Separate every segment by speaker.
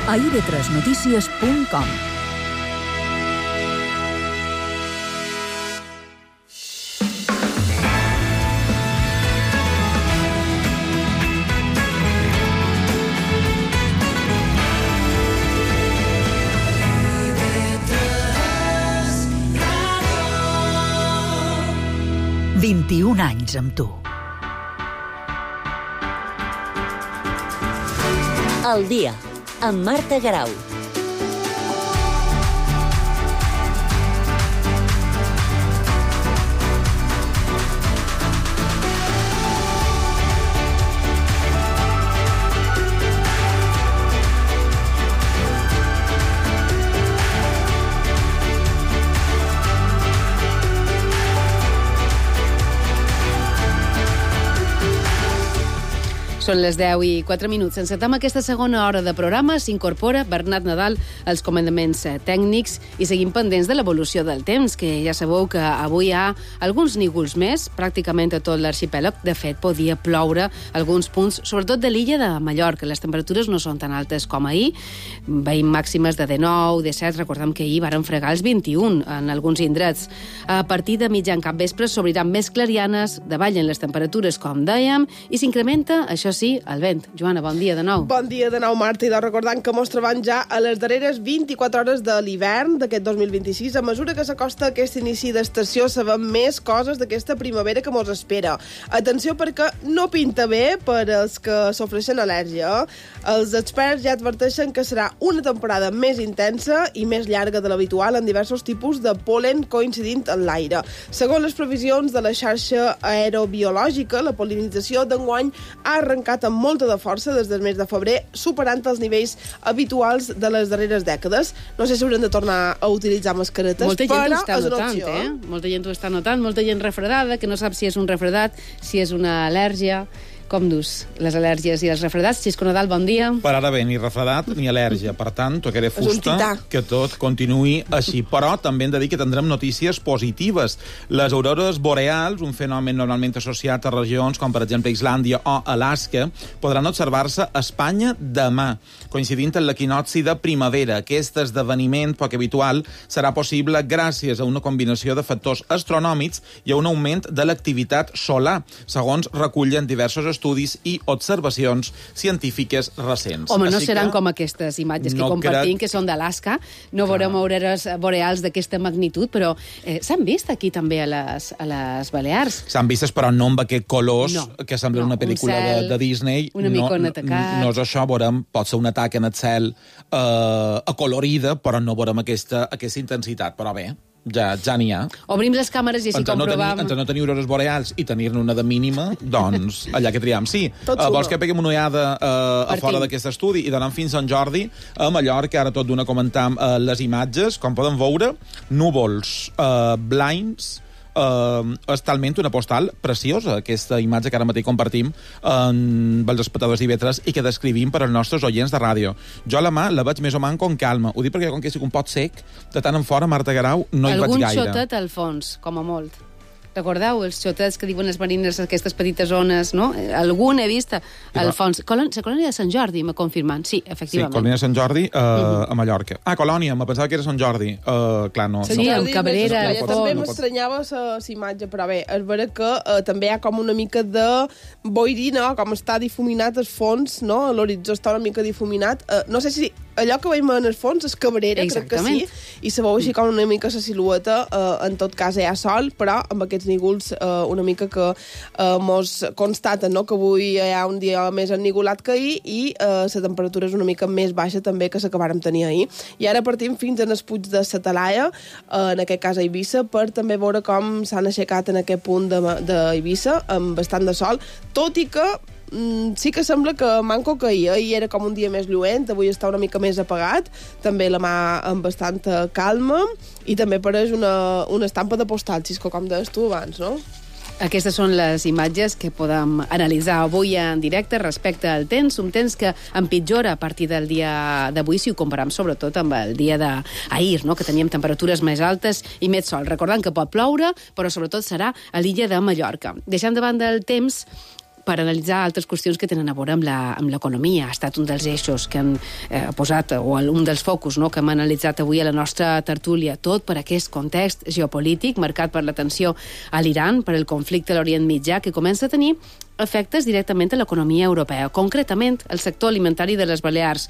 Speaker 1: a ib3notícies.com. « 21 anys amb tu.
Speaker 2: El dia, amb Marta Garau.
Speaker 3: Són les 10:04. Encetem aquesta segona hora de programa. S'incorpora Bernat Nadal als comandaments tècnics i seguim pendents de l'evolució del temps, que ja sabeu que avui hi ha alguns nígols més, pràcticament a tot l'arxipèlag. De fet, podia ploure alguns punts, sobretot de l'illa de Mallorca. Les temperatures no són tan altes com ahir. Veiem màximes de 19, 17. Recordem que ahir varen fregar els 21 en alguns indrets. A partir de mitjan capvespre s'obriran més clarianes, davallen les temperatures, com dèiem, i s'incrementa, això sí, el vent. Joana, bon dia de nou.
Speaker 4: Bon dia de nou, Marta, i recordant que mos trobem ja a les darreres 24 hores de l'hivern d'aquest 2026. A mesura que s'acosta aquest inici d'estació, sabem més coses d'aquesta primavera que mos espera. Atenció, perquè no pinta bé per als que sofreixen al·lèrgia. Els experts ja adverteixen que serà una temporada més intensa i més llarga de l'habitual en diversos tipus de pol·len coincidint en l'aire. Segons les previsions de la xarxa aerobiològica, la pol·linització d'enguany ha arrencat amb molta de força des del mes de febrer, superant els nivells habituals de les darreres dècades. No sé si haurem de tornar a utilitzar mascaretes,
Speaker 3: molta gent
Speaker 4: però
Speaker 3: ho està
Speaker 4: és una
Speaker 3: notant,
Speaker 4: opció.
Speaker 3: Molta gent ho està notant, molta gent refredada, que no sap si és un refredat, si és una al·lèrgia. Com dus les al·lèrgies i els refredats? Xisco Nadal, bon dia.
Speaker 5: Per ara bé, ni refredat ni al·lèrgia. Per tant, tocaré
Speaker 4: un
Speaker 5: fusta
Speaker 4: tità.
Speaker 5: que tot continuï així. Però també hem de dir que tindrem notícies positives. Les aurores boreals, un fenomen normalment associat a regions com, per exemple, Islàndia o Alaska, podran observar-se a Espanya demà, coincidint amb l'equinocci de primavera. Aquest esdeveniment poc habitual serà possible gràcies a una combinació de factors astronòmics i a un augment de l'activitat solar, segons recullen diversos estudis i observacions científiques recents.
Speaker 3: Home, no
Speaker 5: Així
Speaker 3: seran
Speaker 5: que
Speaker 3: com aquestes imatges
Speaker 5: no
Speaker 3: que compartim,
Speaker 5: crec-
Speaker 3: que són d'Alaska. No veurem aurores boreals d'aquesta magnitud, però s'han vist aquí també a les Balears.
Speaker 5: S'han vistes, però no amb aquest colors
Speaker 3: No.
Speaker 5: que sembla
Speaker 3: No,
Speaker 5: una
Speaker 3: un
Speaker 5: pel·lícula
Speaker 3: cel
Speaker 5: de Disney.
Speaker 3: una mica atacat.
Speaker 5: No és això, veurem, pot ser un atac en el cel acolorida, però no veurem aquesta intensitat. Però bé, ja n'hi ha.
Speaker 3: Obrim les càmeres i així comprovam...
Speaker 5: Entre no tenir aurores boreals i tenir-ne una de mínima, doncs allà que triam. Sí,
Speaker 4: Tot suma.
Speaker 5: vols que peguem una ullada a
Speaker 3: Partim.
Speaker 5: fora d'aquest estudi i d'anar fins a Sant Jordi, a Mallorca, ara tot d'una comentam les imatges, com poden veure, núvols blancs, és talment una postal preciosa, aquesta imatge que ara mateix compartim amb els espectadors d'IV3 i que descrivim per als nostres oients de ràdio. Jo la mà la veig més o menys com calma. Ho dic perquè com que estic un pot sec, de tant en fora, Marta Garau, no hi vaig
Speaker 3: Algun
Speaker 5: gaire.
Speaker 3: xotet al fons, com a molt. Recordeu els xotets que diuen els marines, aquestes petites zones, no? Algun he vist al fons. La colònia de Sant Jordi, m'ha confirmat. Sí,
Speaker 5: Sí,
Speaker 3: efectivament.
Speaker 5: Colònia de Sant Jordi a Mallorca. Ah, Colònia, me pensava que era Sant Jordi. Clar, no.
Speaker 3: Sí, amb Cabrera,
Speaker 4: Jo
Speaker 3: al
Speaker 4: també
Speaker 3: fons.
Speaker 4: m'estranyava la imatge, però bé, és vera que també hi ha com una mica de boirina, com està difuminat el fons, no? L'horitzó està una mica difuminat. No sé si allò que veiem en el fons és Cabrera, crec que sí, i se veu així com una mica la silueta. En tot cas hi ha sol, però amb aquests nígols una mica que mos constaten, no?, que avui hi ha un dia més ennigolat que ahir i la temperatura és una mica més baixa també que s'acabàrem tenir ahir. I ara partim fins en el Puig de la Talaia, en aquest cas a Eivissa, per també veure com s'han aixecat en aquest punt d'Eivissa amb bastant de sol, tot i que sí que sembla que manco que ahir era com un dia més lluent, avui està una mica més apagat, també la mà amb bastanta calma i també pareix una estampa de postal, Xisco, com deies tu abans, no?
Speaker 3: Aquestes són les imatges que podem analitzar avui en directe respecte al temps, un temps que empitjora a partir del dia d'avui, si ho comparem sobretot amb el dia d'ahir, no?, que teníem temperatures més altes i més sol. Recordant que pot ploure, però sobretot serà a l'illa de Mallorca. Deixant de banda el temps, per analitzar altres qüestions que tenen a veure amb l'economia. Ha estat un dels eixos que han posat, o un dels focus, no?, que hem analitzat avui a la nostra tertúlia, tot per aquest context geopolític marcat per la tensió a l'Iran, per el conflicte a l'Orient Mitjà, que comença a tenir efectes directament a l'economia europea, concretament el sector alimentari de les Balears.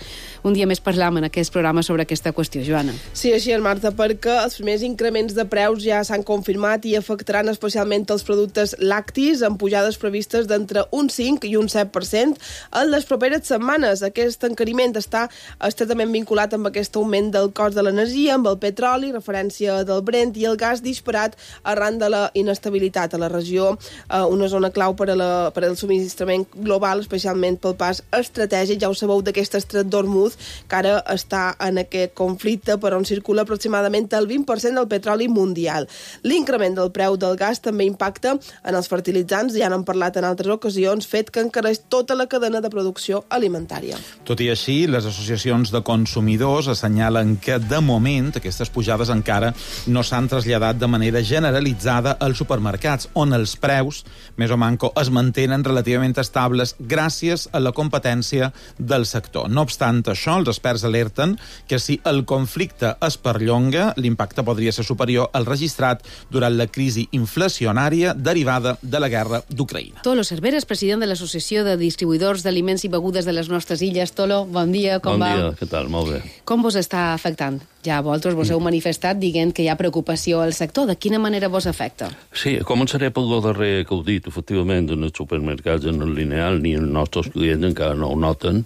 Speaker 3: Un dia més parlam en aquest programa sobre aquesta qüestió, Joana.
Speaker 4: Sí, així és, Marta, perquè els primers increments de preus ja s'han confirmat i afectaran especialment els productes lactis, amb pujades previstes d'entre un 5 i un 7% en les properes setmanes. Aquest encariment està estretament vinculat amb aquest augment del cost de l'energia, amb el petroli, referència del Brent i el gas disparat arran de la inestabilitat a la regió, una zona clau per al subministrament global, especialment pel pas estratègic. Ja ho sabeu d'aquest estret d'Hormuz, que ara està en aquest conflicte, per on circula aproximadament el 20% del petroli mundial. L'increment del preu del gas també impacta en els fertilitzants, ja n'hem parlat en altres ocasions, fet que encareix tota la cadena de producció alimentària.
Speaker 5: Tot i així, les associacions de consumidors assenyalen que, de moment, aquestes pujades encara no s'han traslladat de manera generalitzada als supermercats, on els preus, més o manco, es mantenen relativament estables gràcies a la competència del sector. No obstant això, els experts alerten que si el conflicte es perllonga, l'impacte podria ser superior al registrat durant la crisi inflacionària derivada de la guerra d'Ucraïna.
Speaker 3: Tolo Cerveres, president de l'Associació de Distribuïdors d'Aliments i Begudes de les nostres illes. Tolo, bon dia, com va?
Speaker 6: Bon dia, què tal? Molt bé.
Speaker 3: Com vos està afectant? Ja vosaltres vos heu manifestat dient que hi ha preocupació al sector. De quina manera vos afecta?
Speaker 6: Sí, començaré pel darrer que heu dit. Efectivament, en els supermercats, en el lineal, ni els nostres clients encara no ho noten,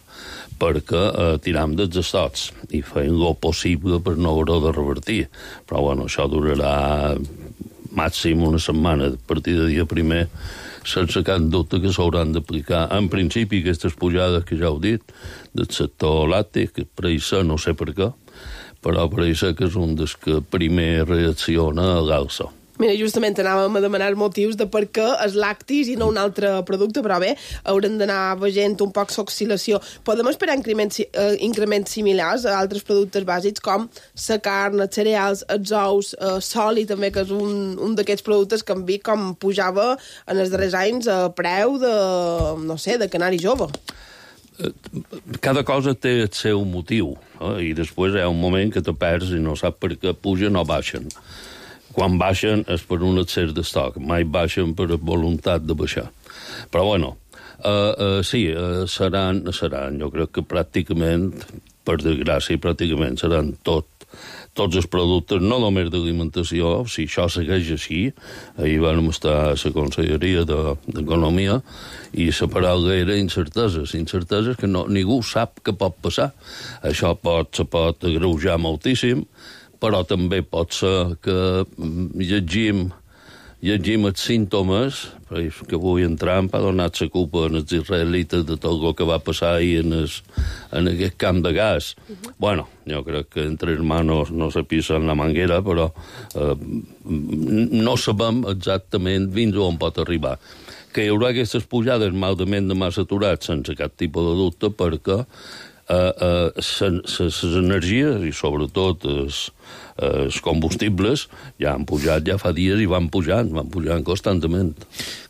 Speaker 6: perquè tiram dels estocs i feien el possible per no haver-ho de revertir. Però, bueno, això durarà màxim una setmana, a partir de dia primer, sense cap dubte que s'hauran d'aplicar. En principi, aquestes pujades que ja heu dit, del sector làctic, que per això no sé per què, però per això que és un dels que primer reacciona a l'alça.
Speaker 4: Mira, justament anàvem a demanar motius de per què els lactis i no un altre producte, però bé, haurem d'anar veient un poc l'oscil·lació. Podem esperar increments similars a altres productes bàsics com la carn, els cereals, els ous, soli també, que és un d'aquests productes que hem vist com pujava en els darrers anys a preu de, no sé, de canari jove.
Speaker 6: Cada cosa té el seu motiu, i després hi ha un moment que te perds i no sap per què pugen o baixen. Quan baixen és per un excés d'estoc, mai baixen per voluntat de baixar. Però, bueno, sí, seran, jo crec que pràcticament, per desgràcia, pràcticament seran tots els productes, no només d'alimentació. Si això segueix així, ahir vam estar a la Conselleria d'Economia i la paraula era incerteses que ningú sap què pot passar. Això se pot agreujar moltíssim, però també pot ser que llegim els símptomes, que avui en Trump ha donat la culpa als israelites de tot el que va passar ahir en aquest camp de gas. Bueno, jo crec que entre hermanos no se pisen la manguera, però no sabem exactament fins on pot arribar. Que hi haurà aquestes pujades malament demà saturats sense cap tipus de dubte, perquè les energies i sobretot els combustibles ja han pujat ja fa dies i van pujant constantment.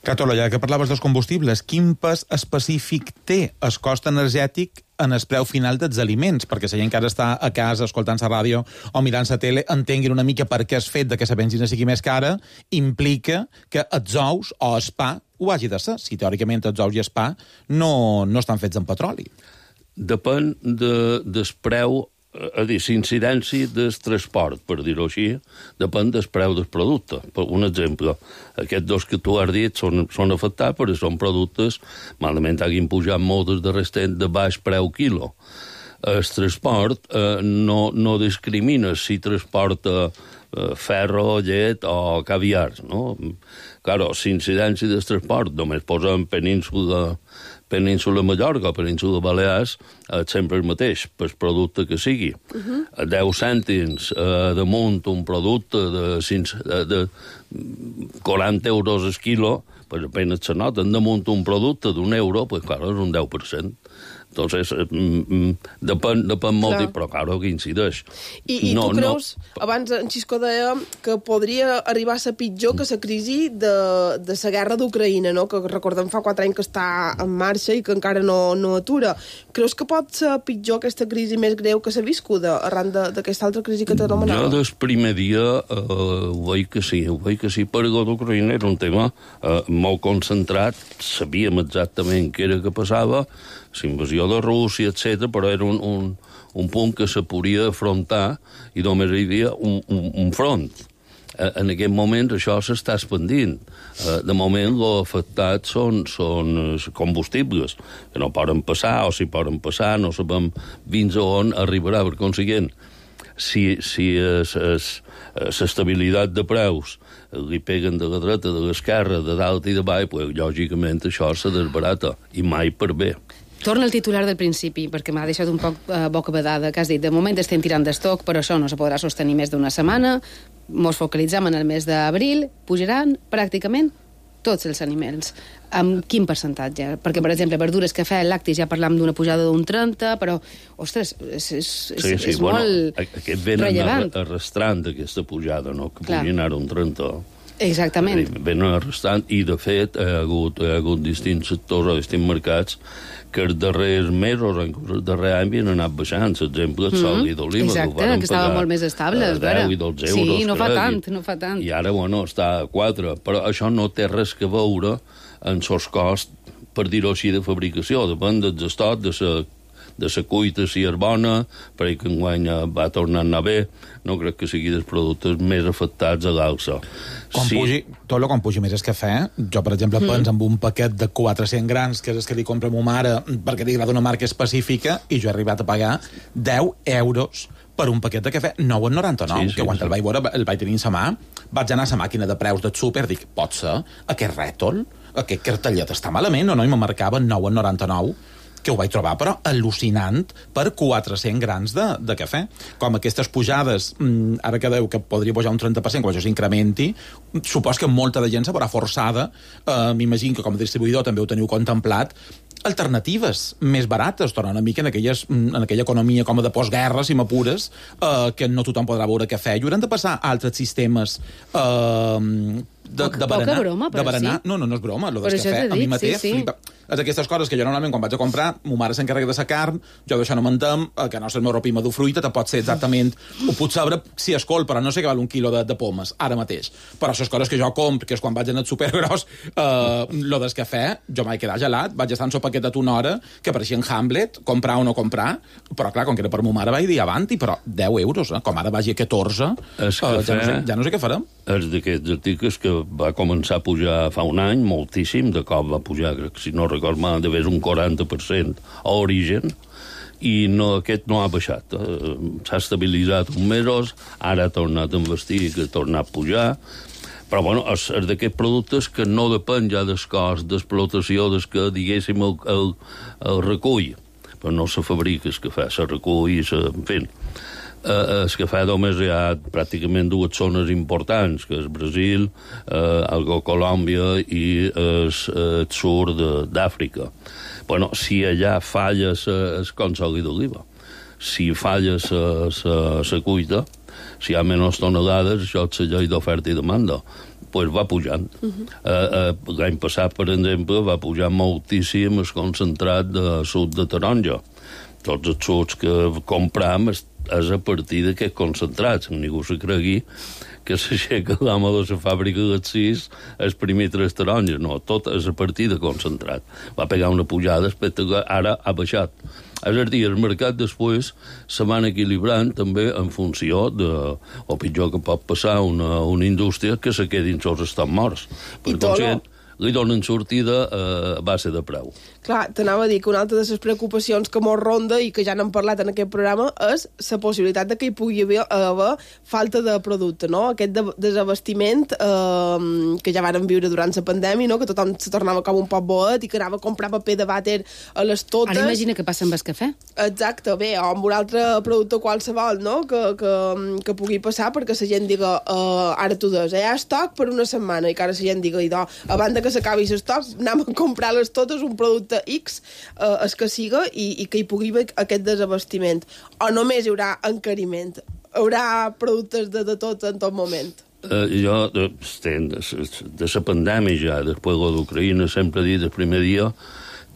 Speaker 5: Catolo, ja que parlaves dels combustibles, quin pes específic té el cost energètic en el preu final dels aliments? Perquè si la gent que ara està a casa escoltant la ràdio o mirant la tele entenguin una mica per què el fet de que la benzina sigui més cara implica que els ous o el pa ho hagi de ser, si teòricament els ous i el pa no estan fets amb petroli.
Speaker 6: Depèn del preu, és a dir, l'incidència del transport, per dir-ho així, depèn del preu del producte. Per un exemple, aquests dos que tu has dit són afectats perquè són productes, malament hagin pujat molt des de restent de baix preu quilo. El transport no discrimina si transporta ferro, llet o caviar, no? Claro, l'incidència del transport, només posem Península Mallorca o Península Balears, sempre el mateix, per producte que sigui. 10 cèntims damunt un producte de 40 euros el quilo, pues apenas se noten. Damunt un producte d'1 euro, pues clar, és un 10%. Entonces, depèn molt, però claro que incideix.
Speaker 4: I tu creus, abans en Xisco deia que podria arribar a ser pitjor que la crisi de la guerra d'Ucraïna, no? Que recordem fa 4 anys que està en marxa i que encara no atura. Creus que pot ser pitjor aquesta crisi més greu que s'ha viscuda arran d'aquesta altra crisi que t'anomenava?
Speaker 6: Jo des primer dia ho veig que sí, perquè l'Ucraïna era un tema molt concentrat, sabíem exactament què era que passava, la invasió de Rússia, etc., però era un punt que se podia afrontar i només hi havia un front. En aquest moment això s'està expandint. De moment, els afectats són combustibles, que no poden passar, o si poden passar, no sabem fins a on arribarà. Per consiguient, si l'estabilitat de preus li peguen de la dreta, de l'esquerra, de dalt i de baix, pues, lògicament això se desbarata, i mai per bé.
Speaker 3: Torna al titular del principi, perquè m'ha deixat un poc bocabadada, que has dit, de moment estem tirant d'estoc, però això no se podrà sostenir més d'una setmana, mos focalitzam en el mes d'abril, pujaran pràcticament tots els aliments. Amb quin percentatge? Perquè, per exemple, verdures, cafè, lactis, ja parlam d'una pujada d'un 30, però, ostres, és molt
Speaker 6: aquest venen arrastrant aquesta pujada, no? Que pugui anar un 30.
Speaker 3: Exactament.
Speaker 6: Venen arrastrant, i de fet hi ha hagut distints sectors o distints mercats que els darrers mesos, inclús el darrer any, havien anat baixant. L'exemple, el sol i d'oliva.
Speaker 3: Exacte, que estaven molt més estables.
Speaker 6: 10 i 12 euros.
Speaker 3: Sí, no fa tant.
Speaker 6: I ara, està a 4. Però això no té res que veure en els costs, per dir-ho així, de fabricació. Depèn dels estocs, de la cuita, si és bona, perquè que enguany va tornar a anar bé, no crec que sigui dels productes més afectats a l'alça.
Speaker 5: Com pugi més el cafè, jo, per exemple, penso en un paquet de 400 grans, que és el que li compra ma mare, perquè li agrada una marca específica, i jo he arribat a pagar 10 euros per un paquet de cafè, 9,99, que quan el vaig veure, el vaig tenir en sa mà, vaig anar a la màquina de preus del súper, dic, pot ser, aquest rètol, aquest cartellet està malament, o no? I me marcava 9,99, que ho vaig trobar, però al·lucinant per 400 grans de cafè. Com aquestes pujades, ara que deu que podria pujar un 30%, quan això s'incrementi, supos que molta de gent se veurà forçada, m'imagino que com a distribuïdor també ho teniu contemplat, alternatives més barates, tornant una mica en aquella economia com a de postguerra, si m'apures, que no tothom podrà veure cafè, i hauran de passar a altres sistemes de berenar.
Speaker 3: Broma, però
Speaker 5: sí. No és broma, lo del cafè, a mi mateix flipa. És aquestes coses que jo normalment quan vaig a comprar, ma mare s'encarrega de la carn, jo d'això no m'entenc, que no és el meu ropima de fruita, te pot ser exactament, ho puc saber si és col, però no sé què val un quilo de pomes, ara mateix. Però les coses que jo compro, que és quan vaig anar al supergros, lo del cafè, jo m'he quedat gelat, vaig estar en el paquet de una hora, que apareixia en Hamlet, comprar o no comprar, però clar, com que era per ma mare vaig dir avanti, però 10 euros, com ara vagi a 14, ja no sé què farem.
Speaker 6: És d'aquests articles que va començar a pujar fa un any, moltíssim, de cop va pujar, crec que si no record mal, de un 40% a origen, i aquest no ha baixat. S'ha estabilitzat uns mesos, ara ha tornat a investir, que ha tornat a pujar, però bueno, és d'aquests productes que no depèn ja del cost d'explotació, des que, diguéssim, el recull. Però no se fabrica el cafè, se recull, en fi. El cafè només hi ha pràcticament dues zones importants, que és Brasil, Colòmbia i el sud d'Àfrica. Bueno, si allà falla el consoli d'oliva, si falla la cuita, si hi ha menys tonelades, això és la llei d'oferta i demanda, doncs va pujant. L'any passat, per exemple, va pujar moltíssim el concentrat de suc de taronja. Tots els sucs que compram és a partir d'aquests concentrats. Ningú se cregui que s'aixeca l'home de la fàbrica dels 6 a exprimir 3 taronges. No, tot és a partir de concentrat. Va pegar una pujada espectacular, ara ha baixat. És a dir, el mercat després se van equilibrant també en funció de, o pitjor que pot passar una indústria que se quedin sols estan morts. Per consiguient, li donen sortida a base de preu.
Speaker 4: Clar, t'anava a dir que una altra de les preocupacions que mos ronda i que ja n'hem parlat en aquest programa és la possibilitat de que hi pugui haver falta de producte, no? Aquest desabastiment que ja vàrem viure durant la pandèmia, no? Que tothom se tornava com un poc boet i que anava a comprar paper de vàter a les totes.
Speaker 3: Ara imagina que passa amb el cafè.
Speaker 4: Exacte, bé, o amb un altre producte qualsevol, no? Que pugui passar perquè la gent diga ara tu des, hi ha estoc per una setmana, i que ara la gent diga, abans de que s'acabi l'estoc, anem a comprar-les totes, un producte X, el que siga, i que hi pugui haver aquest desabastiment. O només hi haurà encariment? Hi haurà productes de tot en tot moment?
Speaker 6: Jo, de la pandèmia ja, després de l'Ucraïna, sempre he dit el primer dia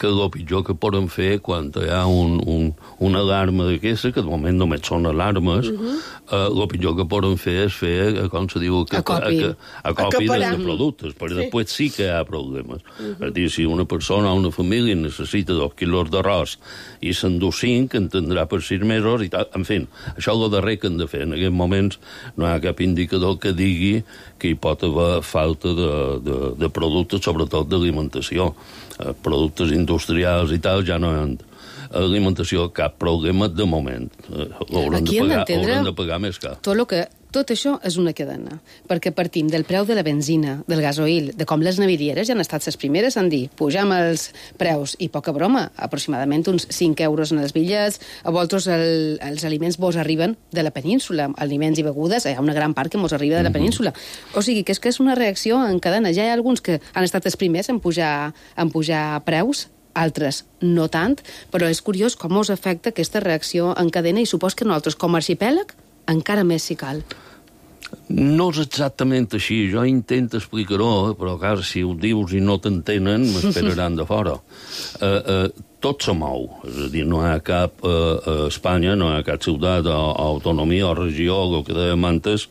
Speaker 6: que el pitjor que poden fer quan hi ha una alarma d'aquesta, que de moment només són alarmes, el pitjor que poden fer és fer, com se diu, acopi de productes, perquè després sí que hi ha problemes. És a dir, si una persona o una família necessita 2 quilos d'arròs i s'endú 5, entendrà per 6 mesos, i tal. En fi, això és el darrer que han de fer. En aquests moments no hi ha cap indicador que digui que hi pot haver falta de productes, sobretot d'alimentació. Productes industrials i tal, ja no hi ha alimentació, cap problema de moment. Haurem de pagar més car.
Speaker 3: Tot això és una cadena, perquè partim del preu de la benzina, del gasoil, de com les navilieres ja han estat les primeres en dir pujam els preus, i poca broma, aproximadament uns 5 euros en els bitllets, a vosaltres els aliments vos arriben de la península, aliments i begudes, hi ha una gran part que mos arriba de la península. O sigui, que és una reacció en cadena. Ja hi ha alguns que han estat els primers en pujar preus, altres no tant, però és curiós com us afecta aquesta reacció en cadena, i supos que nosaltres, com a arxipèlag, encara més si cal.
Speaker 6: No és exactament així. Jo intento explicar-ho, però clar, si ho dius i no t'entenen, m'esperaran de fora. Tot se mou. És a dir, no hi ha cap a Espanya, no hi ha cap ciutat o autonomia o regió, el que dèiem antes,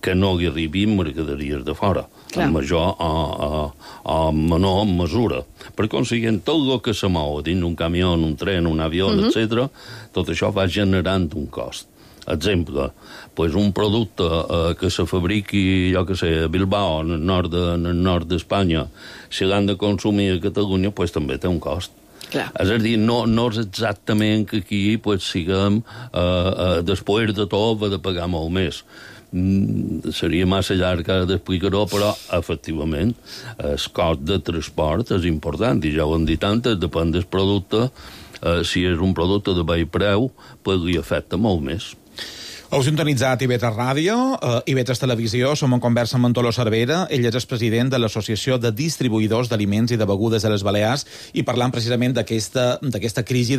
Speaker 6: que no hi arribin mercaderies de fora, en major o menor mesura. Per consiguient, tot el que se mou dins d'un camió, un tren, un avió, etc., tot això va generant un cost. Exemple, un producte que se fabriqui, jo que sé, a Bilbao, en el nord d'Espanya, si l'han de consumir a Catalunya, també té un cost.
Speaker 3: Clar.
Speaker 6: És a dir, no és exactament que aquí siguem, després de tot, de pagar molt més. Seria massa llarg d'explicar-ho, però efectivament el cost de transport és important, i ja ho hem dit antes, depèn del producte. Si és un producte de baix preu, li afecta molt més.
Speaker 5: Heu sintonitzat IB3 Ràdio, IB3 Televisió, som en conversa amb Antoló Cervera, ell és el president de l'Associació de Distribuïdors d'Aliments i de Begudes de les Balears, i parlant precisament d'aquesta crisi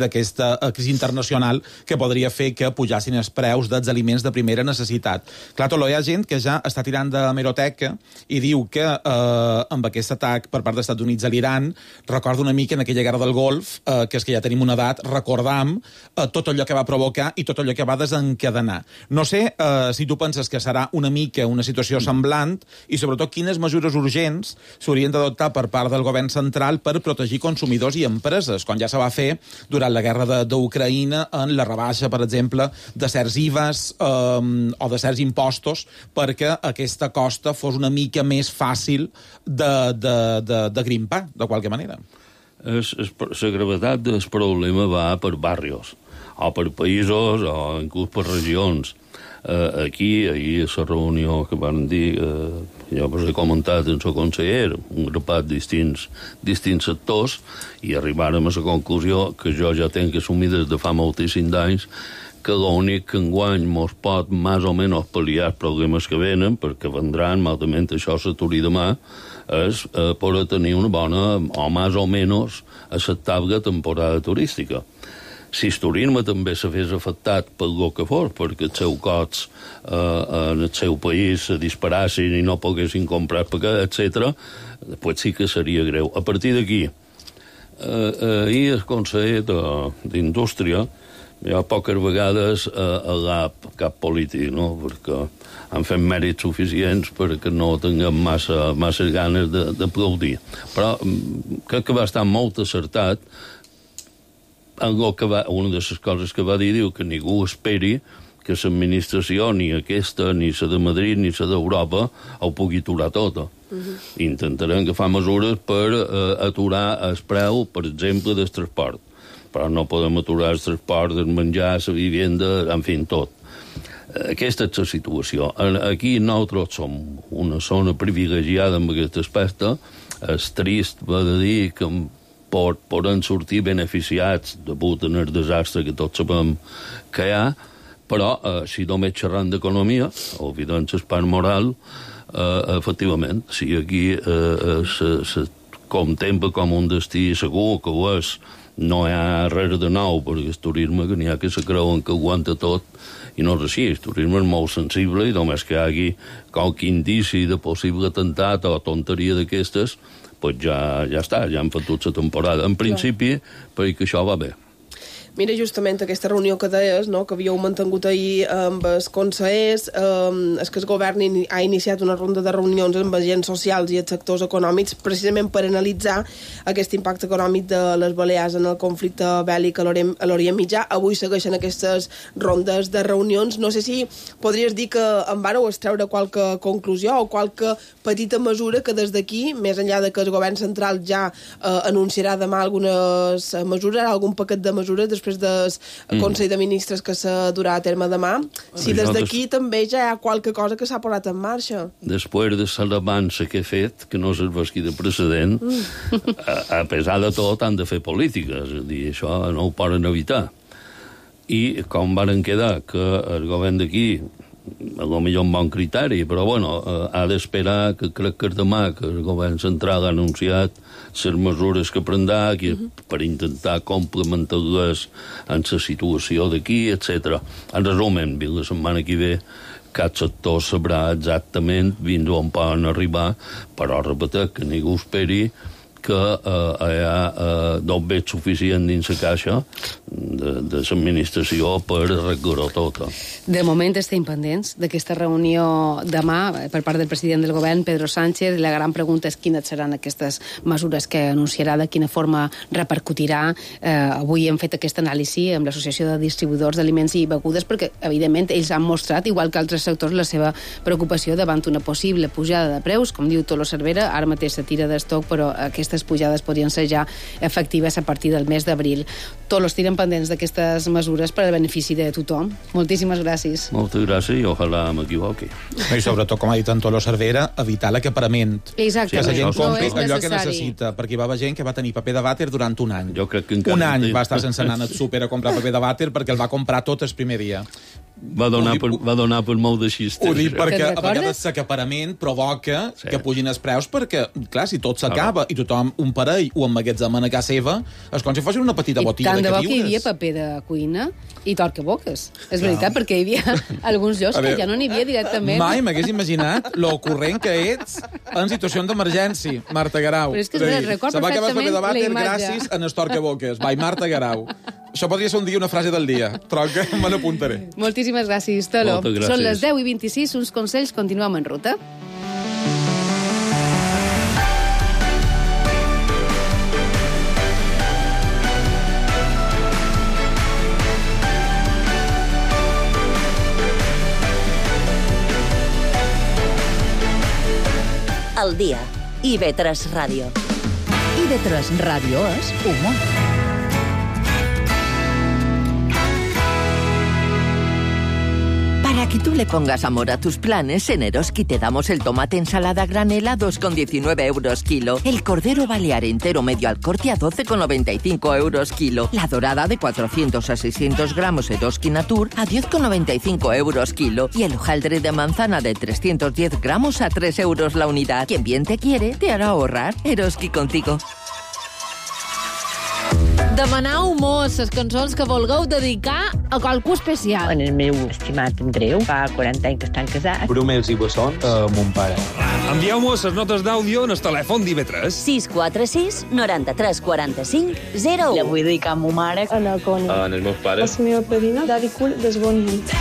Speaker 5: internacional que podria fer que pujassin els preus dels aliments de primera necessitat. Clar, Toló, hi ha gent que ja està tirant de hemeroteca i diu que amb aquest atac per part dels Estats Units a l'Iran recorda una mica en aquella guerra del Golf, que és que ja tenim una edat, recordam tot allò que va provocar i tot allò que va desencadenar. No sé si tu penses que serà una mica una situació semblant i, sobretot, quines mesures urgents s'haurien d'adoptar per part del govern central per protegir consumidors i empreses, com ja se va fer durant la guerra d'Ucraïna en la rebaixa, per exemple, de certs IVAs o de certs impostos perquè aquesta costa fos una mica més fàcil de grimpar, de qualque manera.
Speaker 6: La gravetat del problema va per barrios, o per països, o inclús per regions. Aquí, ahir, a la reunió que van dir, jo us he comentat en el conseller, un grapat de distints sectors, i arribàrem a la conclusió que jo ja tenc assumir des de fa moltíssims anys que l'únic que enguany mos pot més o menys pal·liar els problemes que venen, perquè vendran, malament això s'aturi demà, és poder tenir una bona o més o menys acceptable temporada turística. Si el turisme també se fes afectat pel que fos, perquè els seus costs en el seu país se disparassin i no poguessin comprar pagar, etc., després sí que seria greu. A partir d'aquí, ahir el conseller d'Indústria, hi ha poques vegades a cap polític, no?, perquè han fet mèrits suficients perquè no tinguem massa ganes d'aplaudir. Però crec que va estar molt acertat. Una de les coses que va dir, diu que ningú esperi que l'administració, ni aquesta, ni la de Madrid, ni la d'Europa, ho pugui aturar tota. Intentarem agafar mesures per aturar el preu, per exemple, del transport. Però no podem aturar el transport, el menjar, la vivenda, en fi, tot. Aquesta és la situació. Aquí nosaltres som una zona privilegiada en aquest aspecte. És trist, va de dir, que poden sortir beneficiats degut al desastre que tots sabem que hi ha, però si només xerrant d'economia, oblidant el part moral, efectivament, si aquí contempla com un destí segur, que ho és. No hi ha res de nou, perquè el turisme que n'hi ha que se creuen que aguanta tot, i no és així. El turisme és molt sensible i només que hi hagi qualque indici de possible atemptat o tonteria d'aquestes, pues ja està, ja han fotut la temporada. En principi, perquè això va bé.
Speaker 4: Mira, justament aquesta reunió que deies, no?, que havíeu mantingut ahir amb els consellers, és que el govern ha iniciat una ronda de reunions amb agents socials i els sectors econòmics precisament per analitzar aquest impacte econòmic de les Balears en el conflicte bèl·lic a l'Orient Mitjà. Avui segueixen aquestes rondes de reunions. No sé si podries dir que en vareu extreure qualque conclusió o qualque petita mesura que des d'aquí, més enllà de que el govern central ja anunciarà demà algunes mesures, algun paquet de mesures després del Consell de Ministres que se durà a terme demà, si des d'aquí també ja hi ha qualque cosa que s'ha posat en marxa.
Speaker 6: Després de l'avança que he fet, que no s'esvesqui de precedent, a pesar de tot han de fer política, és a dir, això no ho poden evitar. I com varen quedar que el govern d'aquí, a lo millor un bon criteri, però bueno, ha d'esperar que crec que demà que el govern central ha anunciat les mesures que prendrà per intentar complementar-les en la situació d'aquí, etc. En resumen, la setmana que ve cada sector sabrà exactament fins on poden arribar, però repetir que ningú esperi que hi ha d'obvet suficient dins la caixa de l'administració per arreglar-ho tot.
Speaker 3: De moment estem pendents d'aquesta reunió demà per part del president del govern, Pedro Sánchez. La gran pregunta és quines seran aquestes mesures que anunciarà, de quina forma repercutirà. Avui hem fet aquesta anàlisi amb l'Associació de Distribuïdors d'Aliments i Begudes perquè, evidentment, ells han mostrat, igual que altres sectors, la seva preocupació davant una possible pujada de preus. Com diu Tolo Cervera, ara mateix se tira d'estoc, però aquestes pujades podrien ser ja efectives a partir del mes d'abril. Tots els tiren pendents d'aquestes mesures per al benefici de tothom. Moltíssimes gràcies.
Speaker 6: Moltes gràcies i ojalà m'equivoqui.
Speaker 5: I sobretot, com ha dit en Tolo Cervera, evitar l'acaparament.
Speaker 3: Exactament.
Speaker 5: Que la gent compri allò que
Speaker 3: necessari.
Speaker 5: necessita, perquè hi va haver gent que va tenir paper de vàter durant un any.
Speaker 6: Jo crec que encara
Speaker 5: un any va estar sense anar al súper a comprar paper de vàter perquè el va comprar tot el primer dia.
Speaker 6: Va donar per molt de xistes.
Speaker 5: Ho dic perquè a vegades l'acaparament provoca que pugin els preus perquè, clar, si tot s'acaba i tothom un parell ho emmagatzema a casa seva, és com si fos una petita botiga de
Speaker 3: queviures. I tant de bo que hi havia
Speaker 5: queviures.
Speaker 3: paper de cuina i torcaboques. És veritat, perquè hi havia alguns llocs que ja no n'hi havia directament.
Speaker 5: Mai m'hagués imaginat lo corrent que ets en situacions d'emergència, Marta Guerau.
Speaker 3: Però és que record
Speaker 5: se va acabar el paper de
Speaker 3: perfectament
Speaker 5: vàter
Speaker 3: la imatge.
Speaker 5: gràcies a les torcaboques. Vai, Marta Guerau. Això podria ser un dia una frase del dia. Troca, me n'apuntaré.
Speaker 3: Moltíssimes gràcies, Tolo.
Speaker 6: Moltes gràcies.
Speaker 3: Són les 10:26, uns consells, continuem en ruta.
Speaker 2: Al dia. IB3 Ràdio.
Speaker 1: IB3 Ràdio és humor.
Speaker 7: Para que tú le pongas amor a tus planes, en Eroski te damos el tomate ensalada granel a 2,19 euros kilo, el cordero balear entero medio al corte a 12,95 euros kilo, la dorada de 400 a 600 gramos Eroski Natur a 10,95 euros kilo y el hojaldre de manzana de 310 gramos a 3 euros la unidad. Quien bien te quiere, te hará ahorrar. Eroski contigo.
Speaker 8: Demanau mos les cançons que vulgueu dedicar a qualcú especial.
Speaker 9: En el meu estimat Andreu, fa 40 anys que estan casats.
Speaker 10: Brumels i bessons a mon pare.
Speaker 11: Envieu-mos les notes d'àudio en el telèfon d'IV3.
Speaker 2: 646 93 45 01.
Speaker 9: La vull dedicar a ma mare.
Speaker 10: En els meus pares.
Speaker 12: La meva padrina, Dari Cul, des bon nit.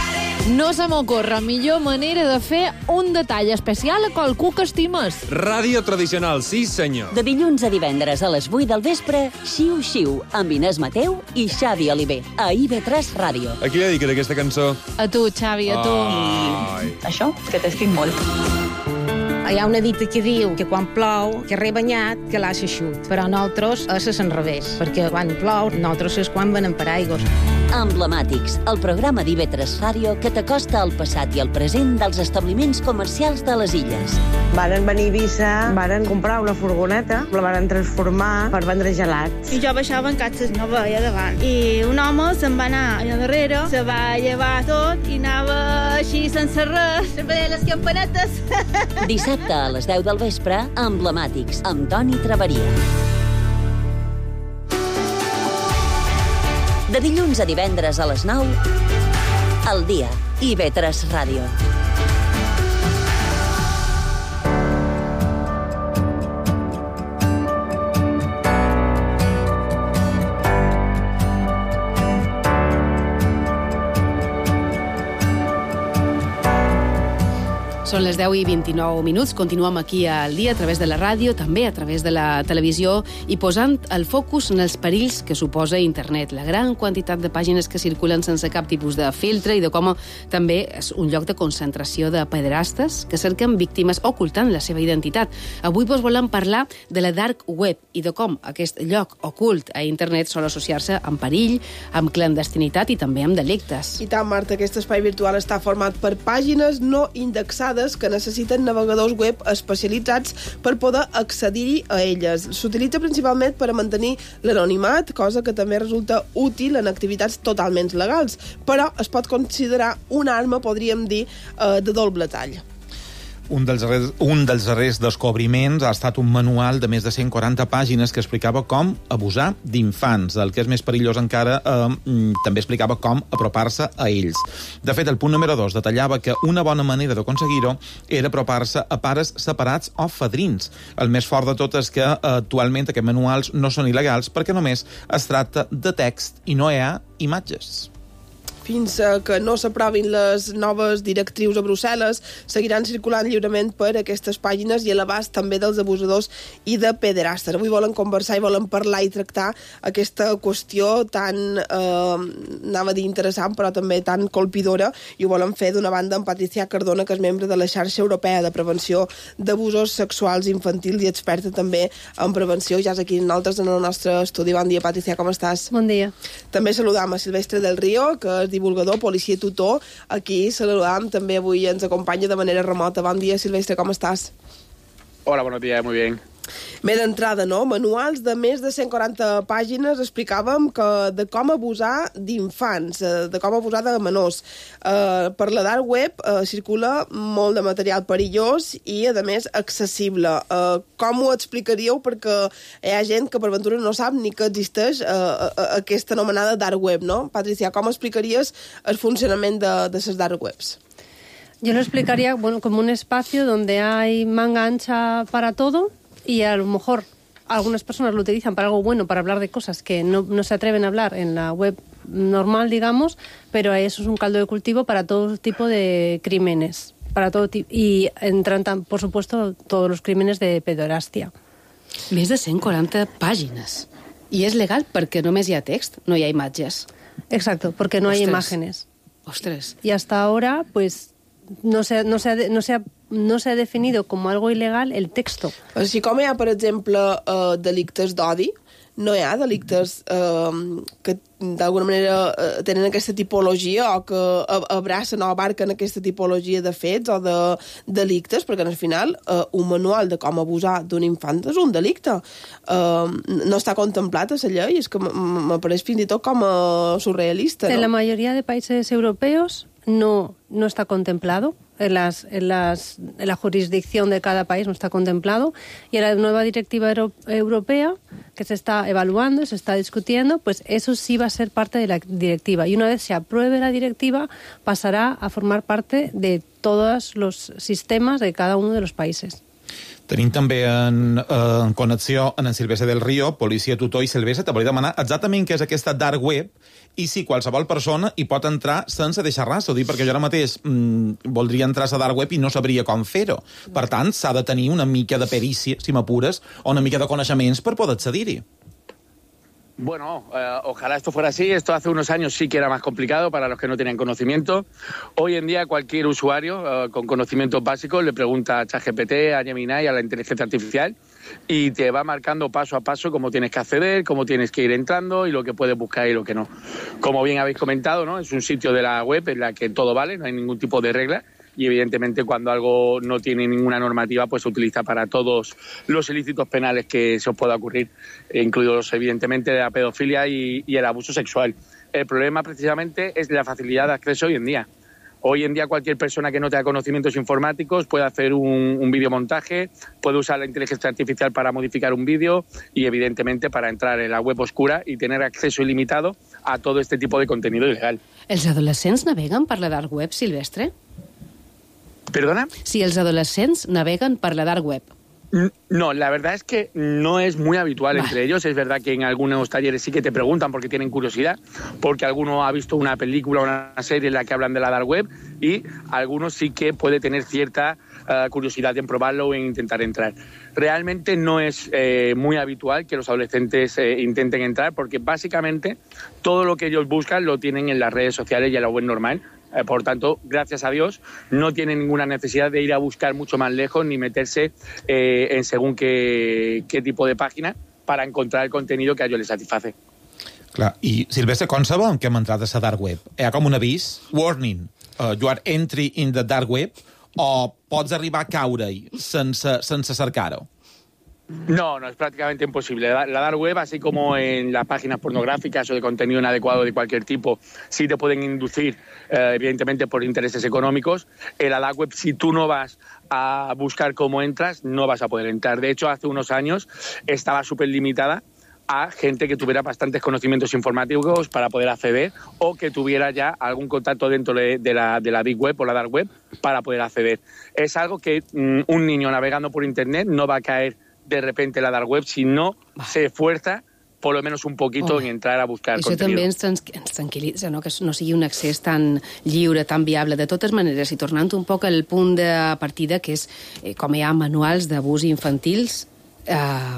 Speaker 8: No se m'ocorre millor manera de fer un detall especial a qualcú que estimes.
Speaker 11: Ràdio tradicional, sí senyor.
Speaker 2: De dilluns a divendres a les 8 del vespre, Xiu Xiu, amb Inés Mateu i Xavi Oliver, a IB3 Ràdio.
Speaker 11: A qui li dediques aquesta cançó?
Speaker 8: A tu, Xavi, a tu.
Speaker 9: Això, que t'estic molt.
Speaker 13: Hi ha una dita que diu que quan plou, que rebanyat, que l'ha eixut. Però nosaltres és l'enrevés, perquè quan plou, nosaltres és quan venen per aigües.
Speaker 2: Emblemàtics, el programa d'IB3 Ràdio que t'acosta al passat i al present dels establiments comercials de les illes.
Speaker 12: Varen venir a Eivissa, varen comprar una furgoneta, la varen transformar per vendre gelats.
Speaker 14: I jo baixava en catxes, no veia davant. I un home se'n va anar allà darrere, se va llevar tot i anava així sense res, sempre les campanetes.
Speaker 2: Dissabte a les 10 del vespre, Emblemàtics, amb Toni Traveria. De dilluns a divendres a les 9, al dia, IB3 Ràdio.
Speaker 3: Són les 10 i 29 minuts. Continuem aquí al dia a través de la ràdio, també a través de la televisió i posant el focus en els perills que suposa internet. La gran quantitat de pàgines que circulen sense cap tipus de filtre i de com també és un lloc de concentració de pederastes que cerquen víctimes ocultant la seva identitat. Avui vos volem parlar de la dark web i de com aquest lloc ocult a internet sol associar-se amb perill, amb clandestinitat i també amb delictes.
Speaker 4: I tant, Marta, aquest espai virtual està format per pàgines no indexades que necessiten navegadors web especialitzats per poder accedir-hi a elles. S'utilitza principalment per a mantenir l'anonimat, cosa que també resulta útil en activitats totalment legals, però es pot considerar una arma, podríem dir, de doble tall.
Speaker 5: Un dels darrers descobriments ha estat un manual de més de 140 pàgines que explicava com abusar d'infants. El que és més perillós encara, també explicava com apropar-se a ells. De fet, el punt número 2 detallava que una bona manera d'aconseguir-ho era apropar-se a pares separats o fadrins. El més fort de tot és que actualment aquests manuals no són il·legals perquè només es tracta de text i no hi ha imatges.
Speaker 4: Fins que no s'aprovin les noves directrius a Brussel·les, seguiran circulant lliurement per aquestes pàgines i a l'abast també dels abusadors i de pederastes. Avui volen conversar i volen parlar i tractar aquesta qüestió tan, anava a dir interessant, però també tan colpidora, i ho volen fer d'una banda amb Patricia Cardona, que és membre de la Xarxa Europea de Prevenció d'Abusos Sexuals Infantils i experta també en prevenció. Ja és aquí nosaltres en el nostre estudi. Bon dia, Patricia, com estàs?
Speaker 8: Bon dia.
Speaker 4: També saludam a Silvestre del Río, que és divulgador, policia i tutor. Aquí saludam, també avui ens acompanya de manera remota. Bon dia, Silvestre, com estàs?
Speaker 10: Hola, buenos días, muy bien.
Speaker 4: Bé, d'entrada, no? Manuals de més de 140 pàgines explicàvem de com abusar d'infants, de com abusar de menors. Per la dark web circula molt de material perillós i, a més, accessible. Com ho explicaríeu? Perquè hi ha gent que per ventura no sap ni que existeix aquesta anomenada dark web, no? Patricia, com explicaries el funcionament de les dark webs?
Speaker 15: Yo lo explicaría como un espacio donde hay manga ancha para todo y a lo mejor algunas personas lo utilizan para algo bueno, para hablar de cosas que no se atreven a hablar en la web normal, digamos, pero eso es un caldo de cultivo para todo tipo de crímenes, para todo y entran, por supuesto, todos los crímenes de pederastia.
Speaker 3: Més de 140 pàgines. I és legal perquè només hi ha text, no hi ha imatges.
Speaker 15: Exacto, porque no hay imágenes.
Speaker 3: Ostras.
Speaker 15: Y hasta ahora, pues, no se ha definido como algo ilegal el texto.
Speaker 4: Així com hi ha, per exemple, delictes d'odi, no hi ha delictes que d'alguna manera tenen aquesta tipologia o que abracen o abarquen aquesta tipologia de fets o de delictes, perquè al final un manual de com abusar d'un infant és un delicte. No està contemplat a la llei, és que m'apareix fins i tot com a surrealista.
Speaker 15: En la mayoría de países europeos no está contemplado. En la jurisdicción de cada país no está contemplado, y en la nueva directiva europea que se está evaluando, se está discutiendo, pues eso sí va a ser parte de la directiva, y una vez se apruebe la directiva pasará a formar parte de todos los sistemas de cada uno de los países.
Speaker 5: Tenim també en connexió en Silvestre del Río, policia tutor. I Silvestre, te volia demanar exactament què és aquesta dark web i si qualsevol persona hi pot entrar sense deixar res. Ho dic perquè jo ara mateix voldria entrar a la dark web i no sabria com fer-ho. Per tant, s'ha de tenir una mica de perícia, si m'apures, o una mica de coneixements per poder accedir-hi.
Speaker 10: Bueno, ojalá esto fuera así. Esto hace unos años sí que era más complicado para los que no tenían conocimiento. Hoy en día cualquier usuario con conocimientos básicos le pregunta a ChatGPT, a Gemini, a la inteligencia artificial, y te va marcando paso a paso cómo tienes que acceder, cómo tienes que ir entrando y lo que puedes buscar y lo que no. Como bien habéis comentado, ¿no? Es un sitio de la web en la que todo vale, no hay ningún tipo de regla. Y evidentemente cuando algo no tiene ninguna normativa, pues se utiliza para todos los ilícitos penales que se os pueda ocurrir, incluidos evidentemente la pedofilia y el abuso sexual. El problema precisamente es la facilidad de acceso hoy en día. Hoy en día cualquier persona que no tenga conocimientos informáticos puede hacer un videomontaje, puede usar la inteligencia artificial para modificar un vídeo y evidentemente para entrar en la web oscura y tener acceso ilimitado a todo este tipo de contenido ilegal.
Speaker 3: Els adolescents naveguen per la dark web, Silvestre?
Speaker 10: ¿Perdona?
Speaker 3: Si els adolescents naveguen per la dark web.
Speaker 10: No, la verdad es que no es muy habitual entre ellos. Es verdad que en algunos talleres sí que te preguntan porque tienen curiosidad, porque alguno ha visto una película o una serie en la que hablan de la dark web y algunos sí que puede tener cierta curiosidad en probarlo o en intentar entrar. Realmente no es muy habitual que los adolescentes intenten entrar porque básicamente todo lo que ellos buscan lo tienen en las redes sociales y en la web normal. Por tanto, gracias a Dios, no tienen ninguna necesidad de ir a buscar mucho más lejos ni meterse en según qué tipo de página para encontrar el contenido que a ellos les satisface.
Speaker 5: Clar, i Silvestre, com sabem que hem entrat a la dark web? Hi ha com un avís, warning, you are entry in the dark web, o pots arribar a caure-hi sense cercar-ho?
Speaker 10: No, es prácticamente imposible. La dark web, así como en las páginas pornográficas o de contenido inadecuado de cualquier tipo, sí te pueden inducir, evidentemente, por intereses económicos. En la dark web, si tú no vas a buscar cómo entras, no vas a poder entrar. De hecho, hace unos años estaba súper limitada a gente que tuviera bastantes conocimientos informáticos para poder acceder o que tuviera ya algún contacto dentro de la Big Web o la Dark Web para poder acceder. Es algo que un niño navegando por Internet no va a caer de repente la dark web si no se esfuerza por lo menos un poquito en entrar a buscar contenido.
Speaker 3: Això també ens tranquil·litza, no? Que no sigui un accés tan lliure, tan viable. De totes maneres, i tornant un poc al punt de partida, que és com hi ha manuals d'abús infantils,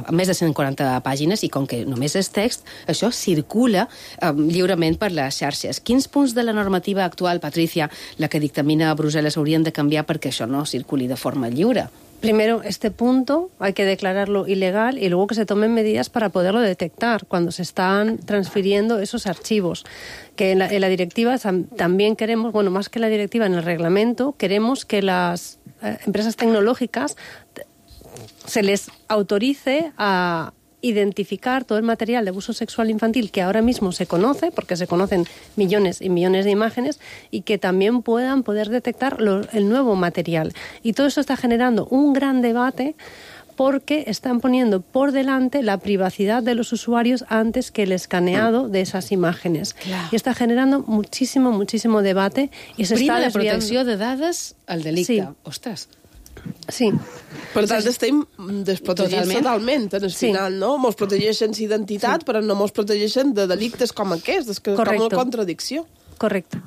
Speaker 3: més de 140 pàgines, i com que només és text, això circula lliurement per les xarxes. Quins punts de la normativa actual, Patricia, la que dictamina a Brussel·les, haurien de canviar perquè això no circuli de forma lliure?
Speaker 15: Primero, este punto hay que declararlo ilegal y luego que se tomen medidas para poderlo detectar cuando se están transfiriendo esos archivos. Que en la directiva también queremos, bueno, más que la directiva, en el reglamento, queremos que las empresas tecnológicas se les autorice a identificar todo el material de abuso sexual infantil que ahora mismo se conoce, porque se conocen millones y millones de imágenes, y que también puedan poder detectar el nuevo material. Y todo eso está generando un gran debate porque están poniendo por delante la privacidad de los usuarios antes que el escaneado de esas imágenes. Claro. Y está generando muchísimo, muchísimo debate. I
Speaker 3: Prima la protecció de dades al delicte. Sí. Ostres.
Speaker 15: Sí.
Speaker 4: Per tant, estem desprotegits totalment en el final, no? Mos protegeixen l'identitat, però no mos protegeixen de delictes com aquests, és que és com una contradicció.
Speaker 15: Correcto.